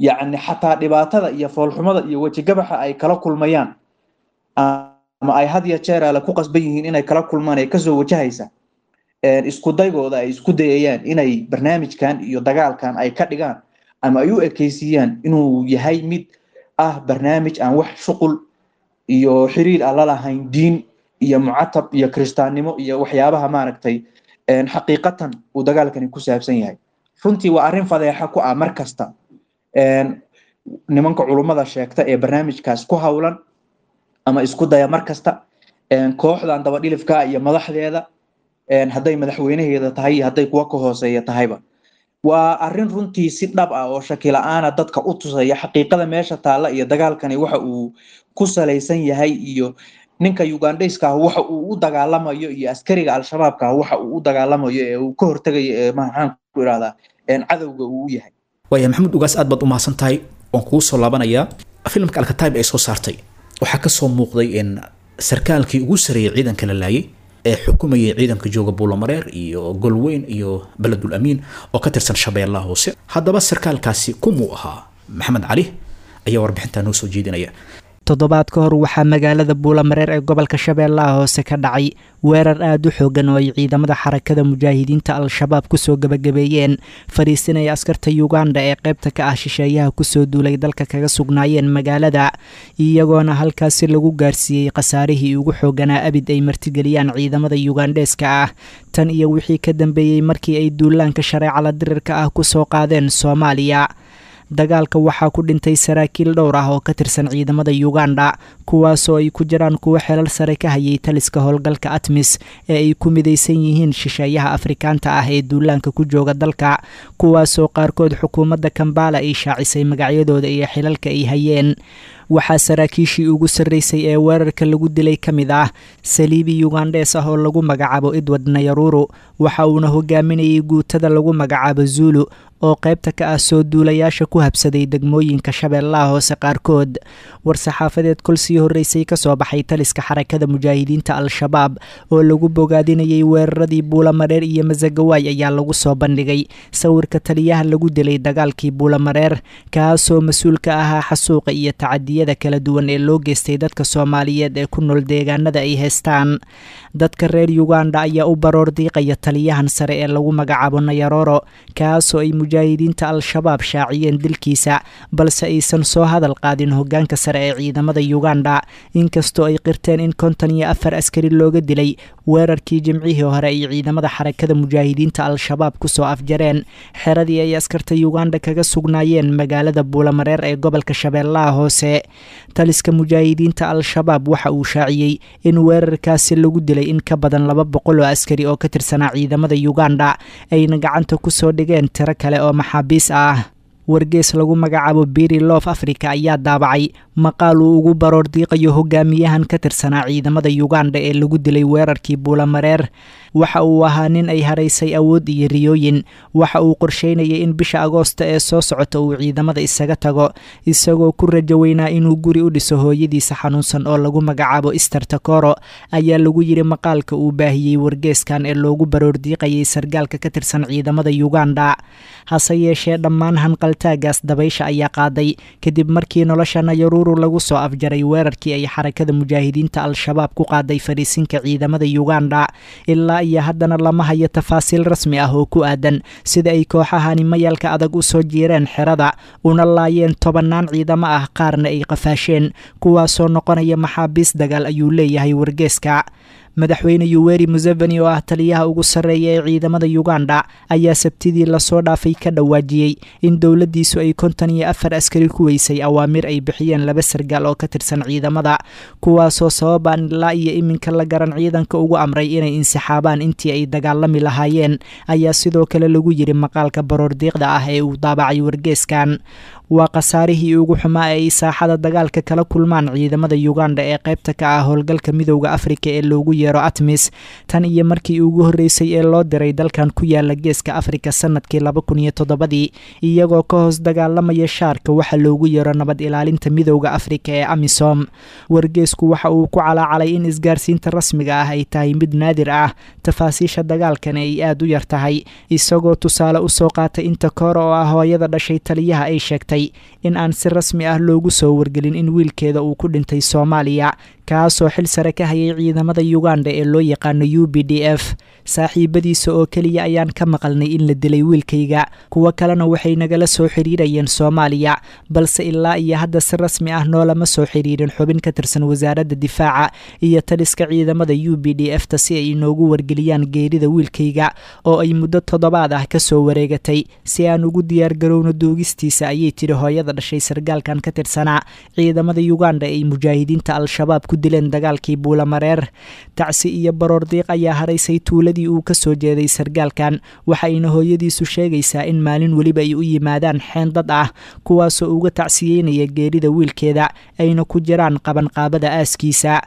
yacni xataa dhibaatada iyo foolxumada iyo wejigabaxa ay kala kulmayaan ama ay had iyo jeer ale ku qasban yihiin inay kala kulmaan ee kasoo wajahaysa Isku daygooda ay isku dayayaan inay barnaamijkan iyo dagaalkan ay ka dhigaan ama ay u ekeysiiyaan inuu yahay mid ah barnaamij aan wax shuqul iyo xiriir aan la lahayn diin iyo mucatab iyo kiristaannimo iyo waxyaabaha maaragtay xaqiiqatan uu dagaalkani ku saabsan yahay. Runtii waa arrin fadeexa ku ah mar kasta nimanka culummada sheegta ee barnaamijkaas ku hawlan ama isku daya mar kasta, kooxdan dabadhilifka iyo madaxdeeda, hadday madaxweynaheeda tahay iyo hadday kuwa ka hooseeya tahayba. Waa arrin runtii si dhab ah oo shaki la'aana dadka u tusaya xaqiiqada meesha taalla iyo dagaalkani waxa uu ku salaysan yahay, iyo ninka Ugandayska ah waxa uu u dagaalamayo, iyo askariga al-shabaabka ah waxa uu u dagaalamayo ee uu ka hortagayo ee maxaan ku irahdaa cadowga uu u yahay. Waaya Maxamuud Ugaas, aad baad u mahadsan tahay. Waan kugu soo laabanayaa. Filimka Alkataib ay soo saartay waxaa kasoo muuqday in sarkaalkii ugu sareeyay ciidanka la laayay ee xukumayay ciidanka jooga Buulamareer iyo Golweyn iyo Beledul Amiin oo ka tirsan Shabeellaha Hoose. Haddaba sarkaalkaasi kumuu ahaa? Maxamed Cali ayaa warbixintaa noo soo jeedinaya. Toddobaad ka hor waxaa magaalada Buulamareer ee gobolka Shabeellaha Hoose ka dhacay weerar aada u xoogan oo ay ciidamada Xarakada Mujaahidiinta Al-Shabaab kusoo gebagabeeyeen fariisinaya askarta Yuganda ee qaybta ka ah shisheeyaha kusoo duulay dalka kaga sugnaayeen magaalada, iyagoona halkaasi lagu gaarsiiyey khasaarihii ugu xooganaa abid ay martigeliyaan ciidamada Yugandheeska ah tan iyo wixii ka dambeeyey markii ay duulaanka shareecada dirirka ah kusoo qaadeen Soomaaliya. Dagaalka waxaa ku dhintay saraakiil dhowr ah oo ka tirsan ciidamada Uganda, kuwaasoo ay ku jiraan kuwo xelal sare ka hayay taliska howlgalka ATMIS ee ay ku midaysan yihiin shisheeyaha Afrikaanta ah ee duulaanka ku jooga dalka, kuwaasoo qaarkood xukuumadda Kambala ay shaacisay magacyadooda iyo xilalka ay hayeen. Waxaa saraakiishii ugu sarreysay ee weerarka lagu dilay ka mid ah saliibi Yugandhees ah oo lagu magacaabo Edward Nayaruru, waxa uuna hogaaminayay guutada lagu magacaabo Zulu oo qaybta ka ah soo duulayaasha ku habsaday degmooyinka Shabeellaha Hoose qaarkood. War-saxaafadeed kol sii horreysay kasoo baxay taliska Xarakada Mujaahidiinta Al-Shabaab oo lagu bogaadinayay weeraradii Buulamareer iyo Masagawaay ayaa lagu soo bandhigay sawirka taliyaha lagu dilay dagaalkii Buulamareer, kaasoo mas-uul ka ahaa xasuuqa iyo tacadiyada kala duwan ee loo geystay dadka Soomaaliyeed ee ku nool deegaanada ay haystaan. Dadka reer Uganda ayaa u baroor diiqaya taliyahan sare ee lagu magacaabo Nayaroro, kaasoo ay mujaahidiinta Al-Shabaab shaaciyeen dilkiisa, balse aysan soo hadal qaadin hogaanka sare ee ciidamada Uganda, inkastoo ay qirteen in konton iyo afar askari looga dilay weerarkii jimcihii hore ay ciidamada Xarakada Mujaahidiinta Al-Shabaab kusoo afjareen xeradii ay askarta Uganda kaga sugnaayeen magaalada Buulamareer ee gobolka Shabeellaha Hoose. Taliska mujaahidiinta Al-Shabaab waxa uu shaaciyey in weerarkaasi lagu dilay in ka badan laba boqol oo askari oo ka tirsanaa ciidamada Uganda, ayna gacanta kusoo dhigeen tiro kale oo maxaabiis ah. Wargees lagu magacaabo Biri Love Africa ayaa daabacay maqaal uu ugu baroor diiqayo hogaamiyahan ka tirsanaa ciidamada Uganda ee lagu dilay weerarkii Buulamareer. Waxa uu ahaa nin ay haraysay awood iyo riyooyin. Waxa uu qorsheynayay in bisha Agoosta ee soo socota uu ciidamada isaga tago, isagoo ku rajo weynaa inuu guri u dhiso hooyadiisa xanuunsan oo lagu magacaabo Esther Takoro, ayaa lagu yiri maqaalka uu baahiyey wargeeskan ee loogu baroor diiqayay sargaalka ka tirsan ciidamada Uganda. Hase yeeshee dhammaan hanqaltaagaas dabaysha ayaa qaaday kadib markii nolosha Nayaruru lagu soo afjaray weerarkii ay Xarakada Mujaahidiinta Al-Shabaab ku qaaday fariisinka ciidamada Uganda. Ilaa iyo haddana lama hayo tafaasiil rasmi ah oo ku aadan sida ay kooxahani mayalka adag u soo jiireen xerada una laayeen tobannaan ciidamo ah, qaarna ay qafaasheen, kuwaasoo noqonaya maxaabiis dagaal, ayuu leeyahay wargeeska. Madaxweyne Yoweri Museveni oo ah taliyaha ugu sarreeya ee ciidamada Uganda ayaa sabtidii lasoo dhaafay ka dhawaajiyey in dowladdiisu ay konton iyo afar askari ku weysay awaamir ay bixiyeen laba sargaal oo ka tirsan ciidamada, kuwaasoo sababaan ilaa iyo iminka la garan ciidanka ugu amray inay insixaabaan intii ay dagaalami lahaayeen, ayaa sidoo kale lagu yiri maqaalka baroordiiqda ah ee uu daabacay wargeeskan. Waa khasaarihii ugu xumaa ee ay saaxada dagaalka kala kulmaan ciidamada Uganda ee qaybta ka ah howlgalka Midowda Afrika ee loogu yeero ATMIS tan iyo markii ugu horreysay ee loo diray dalkan ku yaala geeska Afrika sanadkii laba kun iyo toddobadii, iyagoo ka hoos dagaalamaya shaarka waxa loogu yeero nabad ilaalinta Midowda Afrika ee AMISOM. Wargeesku waxa uu ku calaacalay in isgaarsiinta rasmiga ah ay tahay mid naadir ah, tafaasiisha dagaalkana ay aad u yar tahay, isagoo tusaale usoo qaatay inta koor oo ah hooyada dhashay taliyaha ay sheegtay in aan si rasmi ah loogu soo wargelin in wiilkeeda uu ku dhintay Soomaaliya, kaasoo xil sare ka hayay ciidamada Uganda ee loo yaqaano U B D F. Saaxiibadiisa oo keliya ayaan ka maqalnay in la dilay wiilkayga, kuwo kalena waxay nagala soo xiriirayeen Soomaaliya, balse ilaa iyo hadda si rasmi ah noolama soo xiriirin xubin ka tirsan wasaaradda difaaca iyo taliska ciidamada U B D F ta si ay inoogu wargeliyaan geerida wiilkayga oo ay muddo toddobaad ah kasoo wareegatay, si aan ugu diyaargarowno duugistiisa, ayay tiri hooyada dhashay sargaalkan ka tirsanaa ciidamada Uganda ay mujaahidiinta Al-Shabaab ku dileen dagaalkii Buulamareer. Tacsi iyo baroor diiq ayaa haraysay tuuladii uu ka soo jeeday sargaalkan, waxayna hooyadiisu sheegaysaa in maalin weliba ay u yimaadaan xeen dad ah kuwaasoo uga tacsiyeynaya geerida wiilkeeda, ayna ku jiraan qabanqaabada aaskiisa.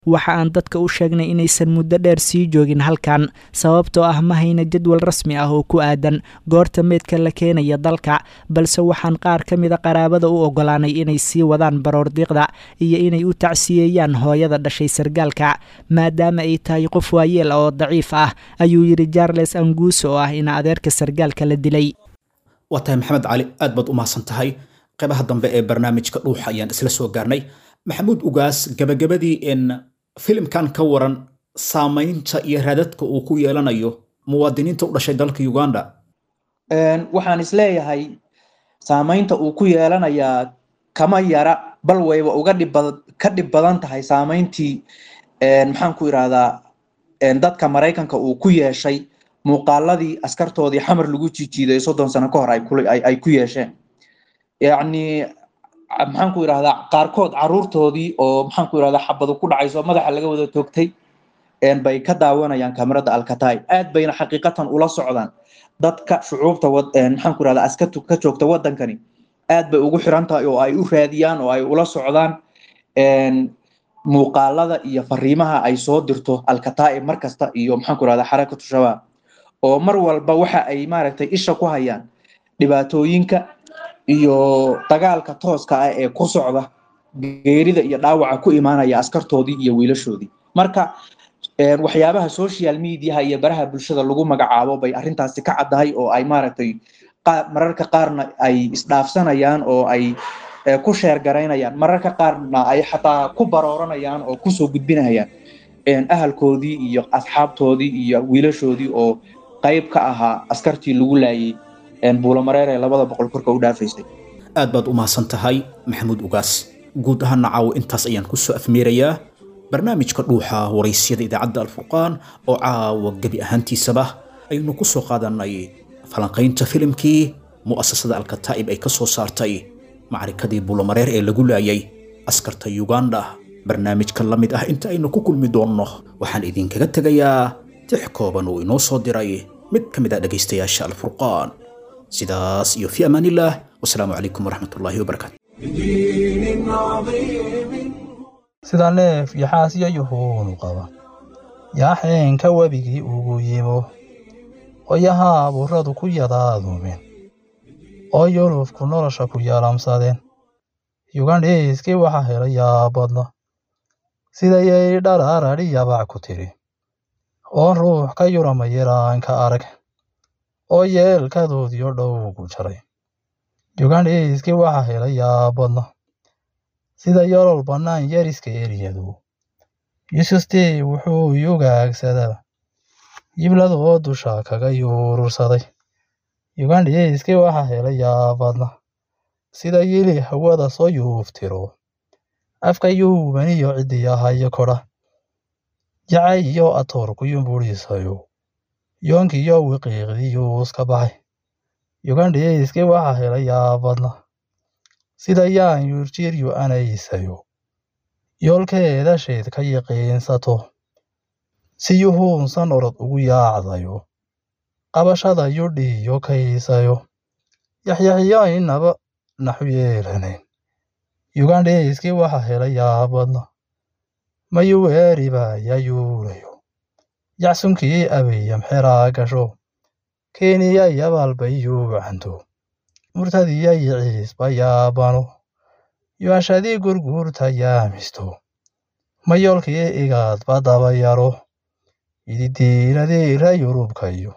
Waxa aan dadka u sheegnay inaysan muddo dheer sii joogin halkan, sababtoo ah ma hayna jadwal rasmi ah oo ku aadan goorta meedka la keenaya dalka, balse waxaan qaar ka mida qaraabada u ogolaanay inay sii wadaan baroordiiqda iyo inay u tacsiyeeyaan hooyada dhashay sargaalka, maadaama ay tahay qof waayeel oo daciif ah, ayuu yidhi Charles Anguuso oo ah ina adeerka sargaalka la dilay. Waa tahay Maxamed Cali, aad baad u mahadsan tahay. Qaybaha dambe ee barnaamijka Dhuuxa ayaan isla soo gaarnay. Maxamuud Ugaas, gabagabadii, in filimkan ka waran saamaynta iyo raadadka uu ku yeelanayo muwaadiniinta u dhashay dalka Uganda. Waxaan isleeyahay saamaynta uu ku yeelanayaa kama yara, bal wayba uga dhib badan ka dhib badan tahay saamayntii maxaan ku irahdaa dadka Maraykanka uu ku yeeshay muuqaaladii askartoodii Xamar lagu jiijiiday soddon sano ka hor ay ku ay ku yeesheen. Yacni maxaan ku irahdaa qaarkood caruurtoodii oo maxaan ku irahdaa xabadu ku dhacayso madaxa laga wada toogtay bay ka daawanayaan kamarada Alkataib. Aad bayna xaqiiqatan ula socdaan dadka shucuubta maxaan ku irahdaa askartu ka joogta wadankani, aad bay ugu xiran tahay oo ay u raadiyaan oo ay ula socdaan muuqaalada iyo fariimaha ay soo dirto Alkataib mar kasta iyo maxaan ku irahdaa Xarakatu Shabaab, oo mar walba waxa ay maaragtay isha ku hayaan dhibaatooyinka iyo dagaalka tooska ah ee ku socda, geerida iyo dhaawaca ku imaanaya askartoodii iyo wiilashoodii. Marka waxyaabaha social mediaha iyo baraha bulshada lagu magacaabo bay arrintaasi ka caddahay, oo ay maaragtay mararka qaarna ay isdhaafsanayaan oo ay ku sheergaraynayaan, mararka qaarna ay xataa ku barooranayaan oo kusoo gudbinayaan ahalkoodii iyo asxaabtoodii iyo wiilashoodii oo qayb ka ahaa askartii lagu laayay Buulamareer ee labada boqol korka u dhaafaysay. Aad baad u mahadsan tahay Maxamuud Ugaas. Guud ahaana caawo intaas ayaan kusoo afmeerayaa barnaamijka Dhuuxa Waraysyada idaacadda Alfurqaan oo caawa gebi ahaantiisaba aynu ku soo qaadanay falanqaynta filimkii mu'asasada Alkataa'ib ay ka soo saartay macrikadii Buulamareer ee lagu laayay askarta Uganda. Barnaamijka la mid ah inta aynu ku kulmi doonno, waxaan idinkaga tegayaa tix kooban oo inoo soo diray mid ka mid ah dhegaystayaasha Alfurqaan. Sidaas iyo fi amaanillaah, wasalaamu calaykum waraxmatullaahi wabarakaatu. Sida neef yaxaasyo yuhuunu qaba, yaaxeenka webigii ugu yimo, oo burradu ku yadaaduumeen, oo yulufku nolosha ku yaalamsadeen. Yugandhiiskii waxa helay yaabadna, sidayay dhararadhi yabac ku tiri, oon ruux ka yurama yaraanka arag, oo yeelkadoodiyo dhowgu jaray. Yugandhiiskii waxa helay yaabadna, sida yolol bannaan yariska eriyadu. Yuusuftii wuxuu yugaagsadaa, yibladoo dusha kaga yuurursaday. Yugandhiiskii waxa helay yaabadna, sida yili hawada soo yuuftiro, afka yuubaniyo cidiyahayo kodha, jacayiyo atoorku yumbuurisayo, yoonkiyo wiqiiqdiyuuska baxay. Yugandhiiskii waxa helay yaabadna, sida yaan yuurjiryu anaysayo, yoolkeeda sheed ka yiqiinsato, si yuhuunsan orod ugu yaacdayo, qabashada yudhiyo kaysayo, yaxyaxiyo inaba naxu yeelanayn. Yugandhiiskii waxa helay yaabadna, mayuweeriba yayuulayo, yacsunkii abiyam xeraa gasho, Kenya yabalbay yuucanto, murtadiya yiciisba yaabano, yuashadii gurguurta yaamisto, mayoolkii igaadba daba yaro, ididiiladii ra Yurubkayo,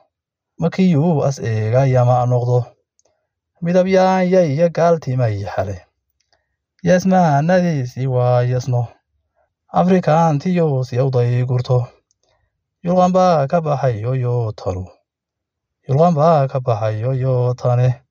makiyuu as eega yama noqdo, midabyaanya iyo gaaltimay xale, yasmaanadiisii waa yasno, Afrikaantiyuu siyawday gurto. Yulqan baa ka baxay yoyo tanu, yulqan baa ka baxay yoyo tane.